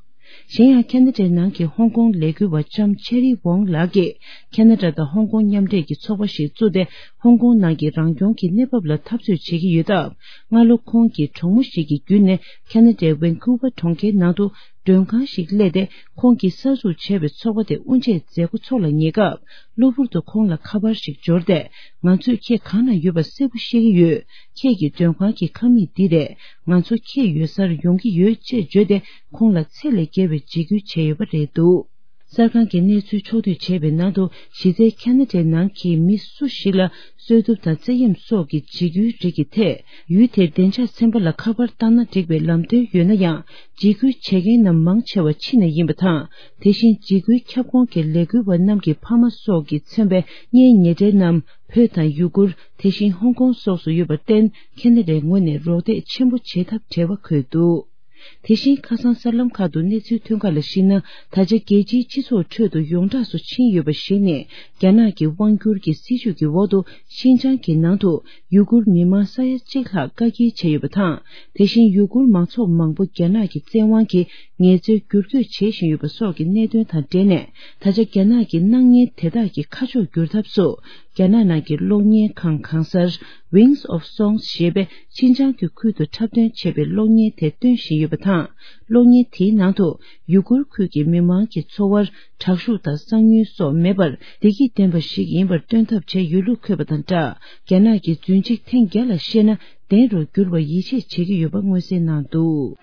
གཞན་ཡང་ཁེ་ན་ཌའི་ནང་གི་ཧོང་ཀོང་ལས་འགུལ་བ་ལྕམ་ཆེ་རི་ཝོང་ལགས་ཀྱིས། ཁེ་ན་ཌ་དང་ཧོང་ཀོང་མཉམ་འབྲེལ་གྱི་ཚོགས་པ་ཞིག་བཙུགས་ཏེ། ཧོང་ཀོང་ནང་གི་རང་སྐྱོང་གི་གནས་བབ་ལ་འཐབ་རྩོད་བྱེད་ཀྱི་ཡོད་སྟབས། སྔ་ལོ་ཁོང་གི་གྲོགས་མོ་ཞིག་གི་བརྒྱུད་ནས་ཁེ་ན་ཌའི་ཝན་ཀུ་ཝར་གྲོང་ཁྱེར་ནང་དུ་མགྲོན་ཁང་ཞིག་གླས་ཏེ། ཁོང་གིས་གསར་འཛུགས་བྱས་པའི་ཚོགས་པ་དེ་དབུ་འབྱེད་མཛད་འགོ་ཚོགས་ལ་ཉེ་སྐབས། གློ་བུར་དུ་ཁོང་ལ་ཁ་པར་ཞིག་འབྱོར་ཏེ། ང་ཚོས་ཁྱེད་གང་ན་ཡོད་པ་གསལ་པོ་ཤེས་ཀྱི་ཡོད། ཁྱེད་ཀྱི་མགྲོན་ཁང་གི་ཁང་མིག་འདི་རེད། ང་ཚོ་ཁྱེད་ཡོད་སར་ཡོང་གི་ཡོད་ཅེས་བརྗོད་དེ། ཁོང་ལ་ཚད་ལས་བརྒལ་བའི་འཇིགས་སྐུལ་བྱས་ཡོད་པ་རེད་འདུག། གསར་ཁང་གིས་གནས་ཚུལ་ཕྱོགས་བསྡུས་བྱས་པའི་ནང་དུ། གཞི་རྩའི་ཁེ་ན་ཌའི་ནང་གི་མི་སུ་ཞིག་ལ་གསོད་གཏུབ་དང་བཙན་གཡེམ་སོགས་ཀྱི་འཇིགས་སྐུལ་རིགས་ཀྱི་ཐད། ཡུལ་དེར་བདེ་འཇགས་ཚན་པ་ལ་ཁ་པར་བཏང་ན་འགྲིག་པའི་ལམ་སྟོན་ཡོད་ན་ཡང་། འཇིགས་སྐུལ་བྱེད་མཁན་རྣམས་མང་ཆེ་བ་ཕྱི་ནས་ཡིན་པ་དང་། དེ་བཞིན་འཇིགས་སྐུལ་ཁྱབ་ཁོངས་ཀྱི་ལས་འགུལ་བ་རྣམས་ཀྱི་ཕ་མ་སོགས་ཀྱིས་མཚོན་པའི་གཉེན་ཉེ་འབྲེལ་རྣམས་བོད་དང་ཡུ་གུར། དེ་བཞིན་ཧོང་ཀོང་སོགས་སུ་ཡོད་པར་བརྟེན། ཁེ་ན་ཌའི་ངོས་ནས་རོགས་འདེགས་ཆེན་པོ་བྱེད་ཐབས་བྲལ་བ་འཁོད་འདུག། དེ་བཞིན་ཁ་སང་གསར་ལམ་ཁག་ཏུ་གནས་ཚུལ་ཐོན་ཁག་ལ་གཞིགས་ན། ད་ཆ་རྒྱལ་སྤྱིའི་སྤྱི་ཚོགས་ཁྲོད་དུ་ཡོངས་གྲགས་སུ་ཕྱིན་ཡོད་པ་ཞིག་ནི། རྒྱ་ནག་གི་དབང་བསྒྱུར་གྱི་སྲིད་བྱུས་ཀྱི་འོག་ཏུ་ཤིན་ཅང་གི་ནང་དུ་ཡུ་གུར་མི་མང་ས་ཡ་གཅིག་ལྷག་བཀག་སྐྱིལ་བྱས་ཡོད་པ་དང་། དེ་བཞིན་ཡུ་གུར་མང་ཚོགས་མང་པོ་རྒྱ་ནག་གི་བཙན་དབང་གིས་ངལ་རྩོལ་བསྒྱུར་བཀོད་བྱེད་བཞིན་ཡོད་པ་སོགས་ཀྱི་གནད་དོན་དང་འབྲེལ་ནས། ད་ཆ་རྒྱ་ནག་གི་སྣང་བརྙན་དེ་དག་གི་ཁ་ཕྱོགས་བསྒྱུར་ཐབས་སུ། རྒྱ་ནག་ནང་གི་གློག་བརྙན་ཁང་གང་སར། Wings of Songs ཞེས་པའི་ཤིན་ཅང་གི་ཁུལ་དུ་འཁྲབ་སྟོན་བྱས་པའི་གློག་བརྙན་དེ་སྟོན་བཞིན་ཡོད་པ་དང་། གློག་བརྙན་དེའི་ནང་དུ་ཡུ་གུར་ཁུལ་གྱི་མི་མང་གི་འཚོ་བར་དྲག་ཤུགས་དང་གསང་ཉུལ་སོགས་མེད་པར། བདེ་སྐྱིད་ལྡན་པ་ཞིག་ཡིན་པར་སྟོན་ཐབས་བྱས་ཡོད་ལུགས་འཁོད་པ་དང་སྦྲགས། རྒྱ་ནག་གི་རྫུན་གཅིག་ཐེངས་བརྒྱ་ལ་བཤད་ན་བདེན་རུ་འགྱུར་བར་ཡིད་ཆེས་བྱེད་ཀྱི་ཡོད་པ་མངོན་གསལ་གནང་འདུག།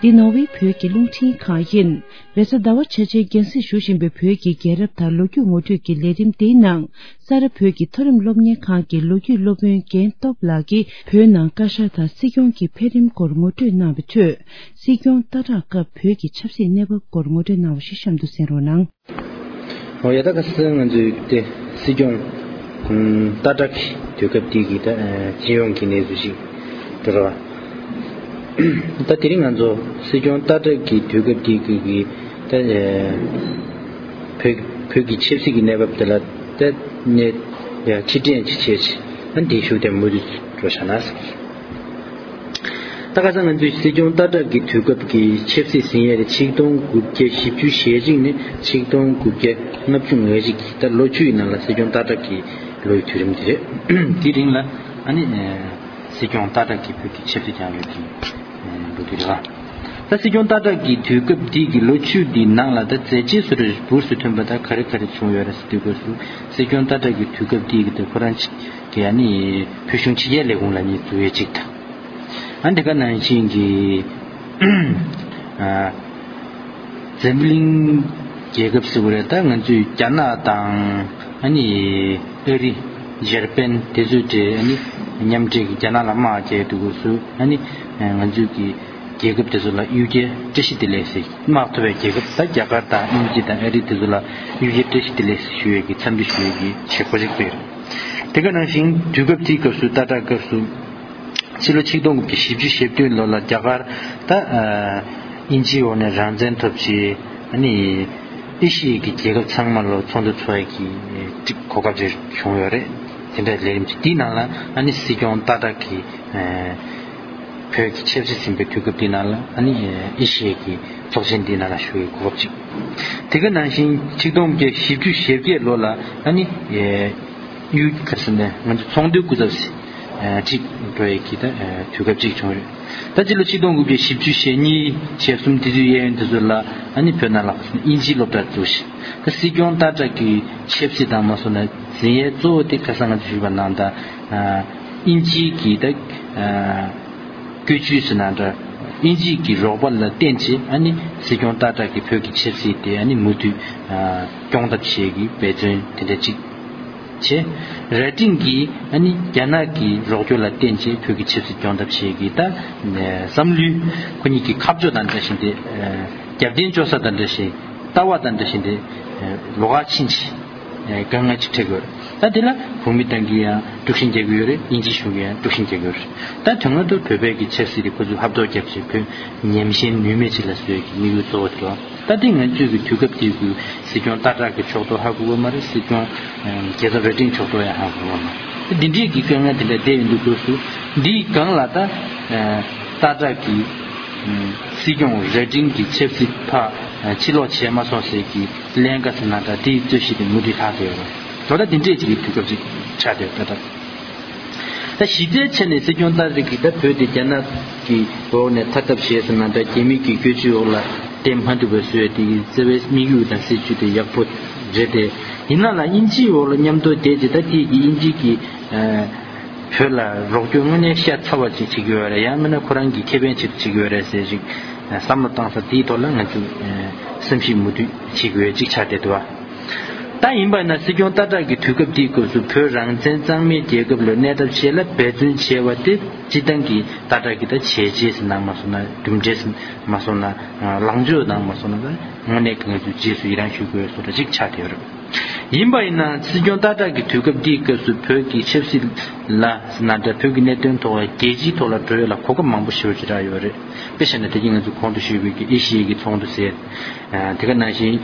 འདི་ནོར་ཝེ་བོད་ཀྱི་རླུང་འཕྲིན་ཁང་ཡིན། རེས་གཟའ་ཟླ་བ་ཆ་ཆའི་རྒྱང་སྲིང་ཞུ་བཞིན་པའི་བོད་ཀྱི་རྒྱལ་རབས་དང་ལོ་རྒྱུས་ངོ་སྤྲོད་ཀྱི་ལས་རིམ་འདིའི་ནང་། ས་རཱ་བོད་ཀྱི་མཐོ་རིམ་སློབ་གཉེར་ཁང་གི་ལོ་རྒྱུས་སློབ་དཔོན་རྒན་སྟོབས་ལགས་ཀྱིས་བོད་ནང་བཀའ་ཤག་དང་སྲིད་སྐྱོང་གི་འཕེལ་རིམ་སྐོར་ངོ་སྤྲོད་གནང་བའི་ཁྲོད། སྲིད་སྐྱོང་སྟག་བྲག་སྐབས་བོད་ཀྱི་ཆབ་སྲིད་གནས་བབ་སྐོར་ངོ་སྤྲོད་གནང་བ་ཞིག་གཤམ་དུ་གསན་རོགས་གནང་། ཨོ་ཡ། ད་ཁ་སང་ང་ཚོས་དེ་སྲིད་སྐྱོང་ཨུམ་སྟག་བྲག་གི་དུས་སྐབས་དེ་གི་ད་ཨ་སྤྱི་ཡོངས་ཀྱི་གནས་ཚུལ་ཞིག་འགྲོ་ར་བ། ད་དེ་རིང་ང་ཚོ་སྲིད་སྐྱོང་སྟག་བྲག་གི་དུས་སྐབས་དེ་གི་གི་ད་ཨ་བོད་བོད་ཀྱི་ཆབ་སྲིད་ཀྱི་གནས་བབ་དེ་ལ་ད་གནས་ཡ་ཕྱིར་དྲན་ཅིག་བྱས་ཤིག་ཨ་འདི་ཞུ་དེ་མུ་མཐུད་འགྲོ་བྱ་ན། ད་ཁ་སང་ང་ཚོས་སྲིད་སྐྱོང་སྟག་བྲག་གི་དུས་སྐབས་ཀྱི་ཆབ་སྲིད་ཟིན་ཡས་དེ་ཆིག་སྟོང་དགུ་བརྒྱ་བཞི་བཅུ་ཞེ་གཅིག་ནས་ཆིག་སྟོང་དགུ་བརྒྱ་ལྔ་བཅུ་ང་གཅིག་གི་ད་ལོ་བཅུ་ཡི་ནང་ལ་སྲིད་སྐྱོང་སྟག་བྲག་གི་ལོ་ཡི་དུས་རིམ་དེ་རེད། དེའི་རིང་ལ་ཨ་ནི་སྲིད་སྐྱོང་སྟག་བྲག་གི་བོད་ཀྱི་ཆབ་སྲིད་བསྐྱངས་ཡོད་ཀྱི་ལོ་དུས་རེད་བ། ད་སྲིད་སྐྱོང་སྟག་བྲག་གི་དུས་སྐབས་འདི་གི་ལོ་བཅུ་འདིའི་ནང་ལ་ད་མཛད་རྗེས་སུ་རེ་འབུར་སུ་ཐོན་པ་ད་ག་རེ་ག་རེ་བྱུང་ཡོད་རེད་ཟེར་དུས་སྐབས་སུ་སྲིད་སྐྱོང་སྟག་བྲག་གི་དུས་སྐབས་འདི་གི་ད་ཁོ་རང་གི་ཨ་ནི་བོད་གཞུང་ཕྱི་རྒྱལ་ལས་ཁུངས་ལ་ནི་འཛུལ་ཡས་གཅིག་དང་། ཨ་འདི་ག་ནང་བཞིན་གྱི་ཨ་འཛམ་གླིང་རྒྱལ་ཁབ་ཟེར་བ་རེད། ད་ང་ཚོས་རྒྱ་ནག་དང་ཨ་ནི་ཨ་རི་འཇར་པན་དེ་ཚོའི་གྲས་ཨ་ནི་མཉམ་འབྲེལ་གྱི་རྒྱ་ནག་ལ་དམག་རྒྱག་དུས་སྐབས་སུ་ཨ་ནི་ང་ཚོས་ཀྱི་རྒྱལ་ཁབ་དེ་ཚོ་ལ་གཡུལ་རྒྱལ་བཀྲ་ཤིས་བདེ་ལེགས་ཟེར། དམག་ཐུབ་པའི་རྒྱལ་ཁབ་ད་རྒྱ་གར་དང་དབྱིན་ཇི་དང་ཨ་རི་དེ་ཚོ་ལ་གཡུལ་རྒྱལ་བཀྲ་ཤིས་བདེ་ལེགས་ཟེར་ཞུ་ཡས་ཀྱི་འཚམས་འདྲི་ཞུ་ཡས་ཀྱི་བྱེད་སྒོ་ཞིག་སྤེལ། དེ་ག་ནང་བཞིན་དུས་སྐབས་དེའི་སྐབས་སུ་སྟག་བྲག་སྐབས་སུ་ཕྱི་ལོ་ཆིག་སྟོང་དགུ་བརྒྱ་བཞི་བཅུ་ཞེ་བདུན་ལོ་ལ་རྒྱ་གར་ད་ཨ་དབྱིན་ཇིའི་འོག་ནས་རང་བཙན་ཐོབ་བྱས། ཨ་ནི་ཨེ་ཤི་ཡའི་གི་རྒྱལ་ཁབ་ཚང་མ་ལ་ཚོགས་འདུ་ཚོགས་ཡས་ཀྱི་གོ་སྐབས་ཅིག་བྱུང་ཡོད་རེད། དེ་འདྲའི་ལས་རིམ་ཅིག་དེའི་ནང་ལ་ཨ་ནི་སྲིད་སྐྱོང་སྟག་བྲག་གི་ཨ་བོད་ཀྱི་ཆབ་སྲིད་ཟིན་པའི་དུས་སྐབས་དེའི་ནང་ལ་ཨ་ནི་ཨེ་ཤི་ཡའི་གི་ཚོགས་ཆེན་དེའི་ནང་ལ་ཞུགས་པའི་གོ་སྐབས་ཅིག་དེ་ག་ནང་བཞིན་ཆིག་སྟོང་དགུ་བརྒྱ་བཞི་བཅུ་ཞེ་བརྒྱད་ལོ་ལ་ཨ་ནི་ཨེ་གཡུལ་ག་རེ་ཟེར་ན་ང་ཚོ་ཚོང་དོན་སྐུ་ཚབ་ཟེར་ཨེ་ཅིག་འགྲོ་ཡས་ཀྱི་ད་ཨེ་དུས་སྐབས་ཅིག་བྱུང་རེད། ད་སྤྱི་ལོ་ཆིག་སྟོང་དགུ་བརྒྱ་བཞི་བཅུ་ཞེ་གཉིས་ཞེ་གསུམ་དེ་ཚོའི་གཡས་གཡོན་དེ་ཚོ་ལ་ཨ་ནི་བོད་ནང་ལ་དབྱིན་ཇིའི་སློབ་གྲྭ་བཙུགས་ཤིང་། ད་སྲིད་སྐྱོང་སྟག་བྲག་གི་ཆབ་སྲིད་དང་མ་སོང་ན་འཛིན་ཡས་གཙོ་བོ་དེ་ཁ་སང་ང་ཚོ་ཞུས་པ་ནང་ལྟར་ཨ་དབྱིན་ཇིའི་གི་ད་ཨ་བཀོད་ཇུས་ཟེར་ན་འདྲ། དབྱིན་ཇིའི་གི་རོགས་པ་ལ་བརྟེན་བྱས་ཨ་ནི་སྲིད་སྐྱོང་སྟག་བྲག་གི་བོད་ཀྱི་ཆབ་སྲིད་དེ་ཨ་ནི་མུ་མཐུད་ཨ་སྐྱོང་ཐབས་བྱེད་ཀྱི་འབད་བརྩོན་དེ་འདྲ་ཅིག་བྱས། རྭ་སྒྲེང་གིས་ཨ་ནི་རྒྱ་ནག་གི་རོགས་སྐྱོར་ལ་བརྟེན་བྱས་བོད་ཀྱི་ཆབ་སྲིད་སྐྱོང་ཐབས་བྱེད་ཀྱི་ད་བསམ་བློའི་ཁོ་གཉིས་ཀྱི་ཁ་ཕྱོགས་དང་འདྲ་བཞིན་དེ་རྒྱབ་རྟེན་བཅོལ་ས་དང་འདྲ་བཞིན་ལྟ་བ་དང་འདྲ་བཞིན་དེ་ལོགས་ཀ་ཕྱིན་བྱས། དཀའ་ངལ་ཅིག་འཕྲད་ཀྱི་ཡོད་རེད། ད་དེ་ལ་བོད་མི་དང་གིས་ཡང་དཀྲུག་ཤིང་རྒྱག་གི་ཡོད་རེད། དབྱིན་ཇི་གཞུང་གིས་ཡང་དཀྲུག་ཤིང་རྒྱག་གི་ཡོད་རེད། ད་དོན་ངོ་ཐོག་བོད་པའི་གི་ཆབ་སྲིད་དེ་ཁོ་ཚོས་ཧབ་ཐོབ་བརྒྱབ་བྱས་བོད་ཉམས་ཞན་ནུས་མེད་ཅིག་ལ་བཟོ་ཡས་ཀྱི་དམིགས་ཡུལ་གཙོ་བོ་དེ་རེད། ད་དེ་ང་ཚོས་ཀྱི་དུས་སྐབས་དེའི་གི་སྲིད་སྐྱོང་སྟག་བྲག་གི་ཕྱོགས་གཏོགས་ཧ་གོ་གི་མ་རེད། སྲིད་སྐྱོང་རྒྱལ་ཚབ་རྭ་སྒྲེང་ཕྱོགས་གཏོགས་ཡང་ཧ་གོ་གི་མ་རེད། ད་འདི་འདྲའི་གི་དཀའ་ངལ་དེ་འདྲ་བསྡད་ཡོང་དུས་སྐབས་སུ་འདིའི་སྒང་ལ་ད་སྟག་བྲག་གི་སྲིད་སྐྱོང་རྭ་སྒྲེང་གི་ཆབ་སྲིད་ཕར་ཕྱིར་ལོག་བྱས་མ་སོང་ཟེར་གི་ཀླན་ཀ་ཟེར་ན་འདྲ་དེའི་རྩོད་གཞི་དེ་མུ་མཐུད་ལྷག་བསྡད་ཡོད་རེད། ད་ལྟ་འདི་འདྲས་ཅིག་གི་དུས་སྐབས་ཅིག་ཆགས་བསྡད་ཡོད་ད་ལྟ། ད་གཞི་རྩའི་ཆ་ནས་སྲིད་སྐྱོང་སྟག་བྲག་གིས་ད་བོད་དེ་རྒྱ་ནག་གི་འོག་ནས་ཐར་ཐབས་བྱས་ཟེར་ན་འདྲ་རྒྱ་མི་གི་བཀོད་ཇུས་འོག་ལ་བརྟེན་མ་ཐུབ་པའི་བཟོས་དེ་གི་རྩ་བའི་དམིགས་ཡུལ་དང་སྲིད་ཇུས་དེ་ཡག་པོ་རེད་དེ། ཡིན་ན་ལ་དབྱིན་ཇིའི་འོག་ལ་མཉམ་དུ་བསྡད་རྗེས་ད་དེ་གི་དབྱིན་ཇི་གི་བོད་ལ་རོགས་སྐྱོར་དངོས་གནས་ཤ་ཚ་བ་ཅིག་བྱེད་ཀྱི་ཡོད་རེད། ཡང་མིན་ན་ཁོ་རང་གི་ཁེ་ཕན་ཆེད་དུ་བྱེད་ཀྱི་ཡོད་རེད་ཟེར་ཞིག་བསམ་བློ་བཏང་ས་དེའི་ཐོག་ལ་ང་ཚོས་བསམ་གཞིག་མུ་མཐུད་བྱེད་དགོས་ཅིག་ཆགས་བསྡད་འདུག་བ། ད་ཡིན་པ་ན་སྲིད་སྐྱོང་སྟག་བྲག་གི་དུས་སྐབས་དེའི་སྐབས་སུ་བོད་རང་བཙན་གཙང་མའི་རྒྱལ་ཁབ་ལ་གནས་ཐབས་ཆེད་ལ་འབད་བརྩོན་བྱས་པ་དེ་སྤྱིར་བཏང་གི་སྟག་བྲག་གི་ད་བྱས་རྗེས་ཟེར་ན་མ་སོང་ན་གྲུབ་འབྲས་མ་སོང་ན་ལངས་ཕྱོགས་དང་མ་སོང་ན་ད་དངོས་གནས་ཀྱི་ང་ཚོས་རྗེས་སུ་ཡི་རང་ཞུ་དགོས་བཟོ་འདྲ་ཅིག་ཆགས་བསྡད་ཡོད་རེད། ཡིན་པ་ཡིན་ན་སྲིད་སྐྱོང་སྟག་བྲག་གི་དུས་སྐབས་འདིའི་སྐབས་སུ་བོད་ཀྱི་ཆབ་སྲིད་ལ་ཟེར་ན་འདྲ་བོད་ཀྱི་གནད་དོན་ཐོག་ལ་རྒྱལ་སྤྱིའི་ཐོག་ལ་འགྲོ་ཡ་ལ་གོ་སྐབས་མང་པོ་ཞེ་པོ་ཅིག་རག་ཡོད་རེད། དཔེ་བཞག་ན་དེ་གིན་ང་ཚོ་གོང་དུ་ཞུས་པའི་གི་ཨེ་ཤི་ཡའི་གི་ཚོགས་འདུ་ཟེར། དེ་ག་ནང་བཞིན་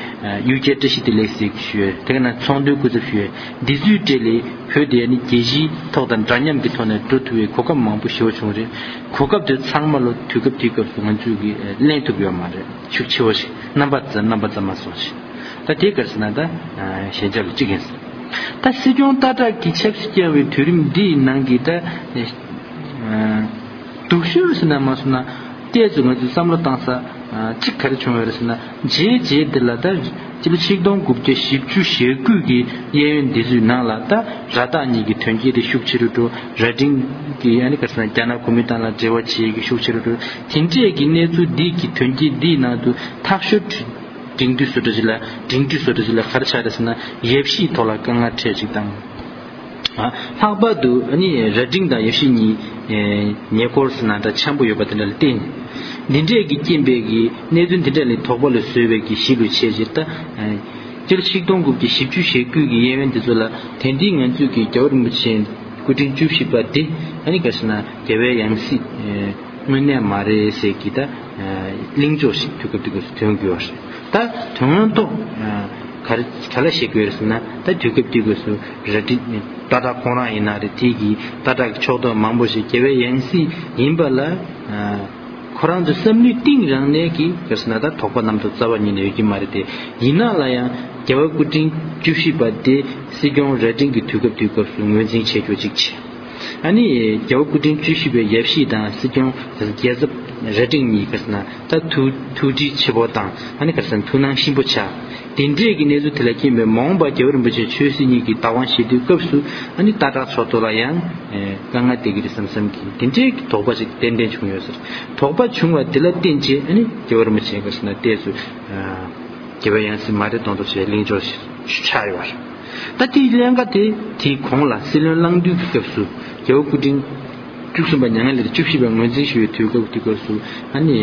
གཡུལ་རྒྱལ་བཀྲ་ཤིས་བདེ་ལེགས་ཟེར་ཞུས། དེ་ག་ནང་ཚོང་དོན་སྐུ་ཚབ་ཞུས། འདི་ཚོའི་གྲས་ལས་བོད་དེ་ནི་རྒྱལ་སྤྱིའི་ཐོག་དང་འདྲ་མཉམ་གྱི་ཐོག་ནས་འགྲོ་ཐུབ་པའི་གོ་སྐབས་མང་པོ་ཞེ་པོ་བྱུང་རེད། གོ་སྐབས་དེ་ཚང་མ་ལོ་དུས་སྐབས་དེའི་སྐབས་སུ་ང་ཚོས་གི་ལེན་ཐུབ་ཡོད་མ་རེད། ཤུགས་ཆེ་བོ་ཞིག་རྣམ་པ་ཙམ་རྣམ་པ་ཙམ་མ་སོང་ཞིག་ད་དེ་ག་རེ་ཟེར་ན་ད་ཞན་ཆ་ལ་གཅིག་ཡིན། ད་སྲིད་སྐྱོང་སྟག་བྲག་གི་ཆབ་སྲིད་བསྐྱངས་པའི་དུས་རིམ་འདིའི་ནང་གི་ད་སྡུག་ཤོས་ཟེར་ན་མ་སོང་ན། བལྟས་ཚུལ་ང་ཚོས་བསམ་བློ་བཏང་ས་གཅིག་ག་རེ་བྱུང་བ་རེད་ཟེར་ན། རྗེས་རྗེས་འདི་ལ་ད་སྤྱི་ལོ་ཆིག་སྟོང་དགུ་བརྒྱ་བཞི་བཅུ་ཞེ་དགུ་གི་གཡས་གཡོན་འདི་ཚོའི་ནང་ལ་ད་ར་སྟག་གཉིས་ཀྱི་དོན་རྐྱེན་དེ་ཤུགས་ཆེ་རུ་འགྲོ། ར་ཏིང་གི་ཨ་ནི་ག་རེ་ཟེར་ན་རྒྱ་ནག་གོ་མིན་ཏང་ལ་འབྲེལ་བ་བྱེད་ཀྱི་ཤུགས་ཆེ་རུ་འགྲོ། དེ་འདྲས་ཀྱི་གནས་ཚུལ་འདི་གི་དོན་རྐྱེན་འདིའི་ནང་དུ་ཐག་ཤོད་འབྲིང་བསྡུས་བཟོ་འདྲ་ཅིག་ལ་འབྲིང་བསྡུས་བཟོ་འདྲ་ཅིག་ལ་ག་རེ་ཆགས་རེད་ཟེར་ན། ཡབ་གཞིས་ཐོག་ལ་དཀའ་ངལ་འཕྲད་ཅིག་དང་། ལྷག་པར་དུ་ཨ་ནི་རྭ་སྒྲེང་དང་ཡབ་གཞིས་གཉིས་ཉེ་འཁོར་ཟེར་ན་འདྲ་འཆམ་པོ་ཡོད་པ་དེ་འདྲ་ལ་བརྟེན། འདི་འདྲས་ཀྱི་རྐྱེན་པས་ཀྱི་གནད་དོན་འདི་འདྲ་ལས་དོགས་པ་ལ་བཟོས་པའི་གི་གཞི་ལུ་བྱས་ཕྱིར་ད། སྤྱིར་ཆིག་སྟོང་དགུ་བརྒྱ་བཞི་བཅུ་ཞེ་དགུ་གི་གཡས་གཡོན་འདི་ཚོ་ལ་དེང་དུས་ང་ཚོས་ཀྱི་རྒྱལ་བ་རིན་པོ་ཆེ་སྐུ་ཕྲེང་བཅུ་བཞི་པ་འདི་ཨ་ནི་ག་རེ་ཟེར་ན་རྒྱལ་བའི་ཡང་སྲིད་དངོས་གནས་མ་རེད་ཟེར་གྱི་ད་གླེང་ཕྱོགས་ཤིག་དུས་སྐབས་དེ་ག་ཐོན་དགོས་པ་རེད། ད་དོན་ཐོག་ག་རེ་ག་ལ་བཤད་དགོས་རེད་ཟེར་ན། ད་དུས་སྐབས་དེ་ག་སུ་ར་ཏི་སྟག་བྲག་ཁོང་རང་ཡིན་ན་རེད། དེ་གི་སྟག་བྲག་གི་ཕྱོགས་གཏོགས་མང་པོ་ཞིག་རྒྱལ་བའི་ཡང་སྲིད་ཡིན་པ་ལ། ཁོ་རང་ཚོ་བསམ་བློའི་གཏིང་རང་ནས་ཀྱི་ག་རེ་ཟེར་ན་ད་དོགས་པ་རྣམ་རྟོག་རྩ་བ་ཉིད་ནས་ཡོད་ཀྱི་མ་རེད་དེ། ཡིན་ན་ལ་ཡང་རྒྱལ་བ་སྐུ་ཕྲེང་བཅུ་བཞི་པ་དེ་སྲིད་སྐྱོང་རྭ་སྒྲེང་གི་དུས་སྐབས་དུས་སྐབས་སུ་ངོས་འཛིན་བྱེད་རྒྱུ་ཅིག་བྱས། ཨ་ནི་རྒྱལ་བ་སྐུ་ཕྲེང་བཅུ་བཞི་པའི་ཡབ་གཞིས་དང་སྲིད་སྐྱོང་རྒྱལ་ཚབ་རྭ་སྒྲེང་གཉིས་ག་རེ་ཟེར་ན་ད་ཐུགས་ཐུགས་འདྲིས་ཆེ་པོ་དང་། ཨ་ནི་ག་རེ་ཟེར་ན་ཐུགས་སྣང་ཆེན་པོ་ཆགས། དེ་འདྲས་ཀྱི་གནས་ཚུལ་དེ་ལ་རྐྱེན་པས་མ་འོངས་པར་རྒྱལ་བ་རིན་པོ་ཆེ་ཆོས་སྲིད་གཉིས་ཀྱི་བདག་དབང་བཞེས་དུས་སྐབས་སུ་ཨ་ནི་སྟག་བྲག་ཕྱོགས་གཏོགས་ལ་ཡང་དཀའ་ངལ་འཕྲད་ཀྱི་རེད་བསམ་བསམ་གྱི་དེ་འདྲའི་དོགས་པ་ཞིག་ཏན་ཏན་བྱུང་ཡོད་ཟེར། དོགས་པ་བྱུང་བ་དེ་ལ་བརྟེན་བྱས་ཨ་ནི་རྒྱལ་བ་རིན་པོ་ཆེ་ག་རེ་ཟེར་ན་ཏོག་ཙམ་རྒྱལ་བའི་ཡང་སྲིད་མ་རེད་མདོག་མདོག་བྱས་གླེང་ཕྱོགས་ཤིག་ཆགས་ཡོད་པ་རེད། ད་དེའི་ཀླན་ཀ་དེ་དེའི་གོང་ལ་སྲིད་བློན་གླང་འདུས་ཀྱི་སྐབས་སུ་རྒྱལ་བ་སྐུ་ཕྲེང་བཅུ་གསུམ་པ་མྱ་ངན་ལས་བཅུ་བཞི་པ་ངོས་འཛིན་ཞུ་བའི་དུས་སྐབས་དུས་སྐབས་སུ་ཨ་ནི།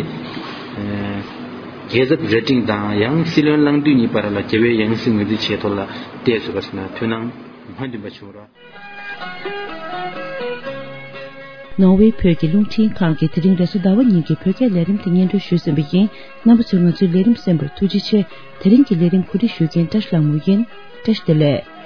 རྒྱལ་ཚབ་རྭ་སྒྲེང་དང་ཡང་སྲིད་བློན་གླང་འདུས་གཉིས་བར་ལ་རྒྱལ་བའི་ཡང་སྲིད་ངོས་འཛིན་བྱས་ཐོག་ལ་ཏོག་ཙམ་ག་རེ་ཟེར་ན་ཐུགས་སྣང་སྨོན་འདུན་པ་བྱུང་རོགས། ནོར་ཝེ་བོད་ཀྱི་རླུང་འཕྲིན་ཁང་གིས་དེ་རིང་རེས་གཟའ་ཟླ་བ་ཉིན་གྱི་བོད་སྐད་ལས་རིམ་དེ་སྙན་སྒྲོན་ཞུས་ཟིན་པ་ཡིན། རྣམ་པ་ཚོས་ང་ཚོའི་ལས་རིམ་གསན་པར་ཐུགས་རྗེ་ཆེ། དེ་རིང་གི་ལས་རིམ་གོ་སྒྲིག་ཞུ་མཁན་བཀྲ་ཤིས་ལྷ་མོ་ཡིན། བཀྲ་ཤིས་བདེ་ལེགས།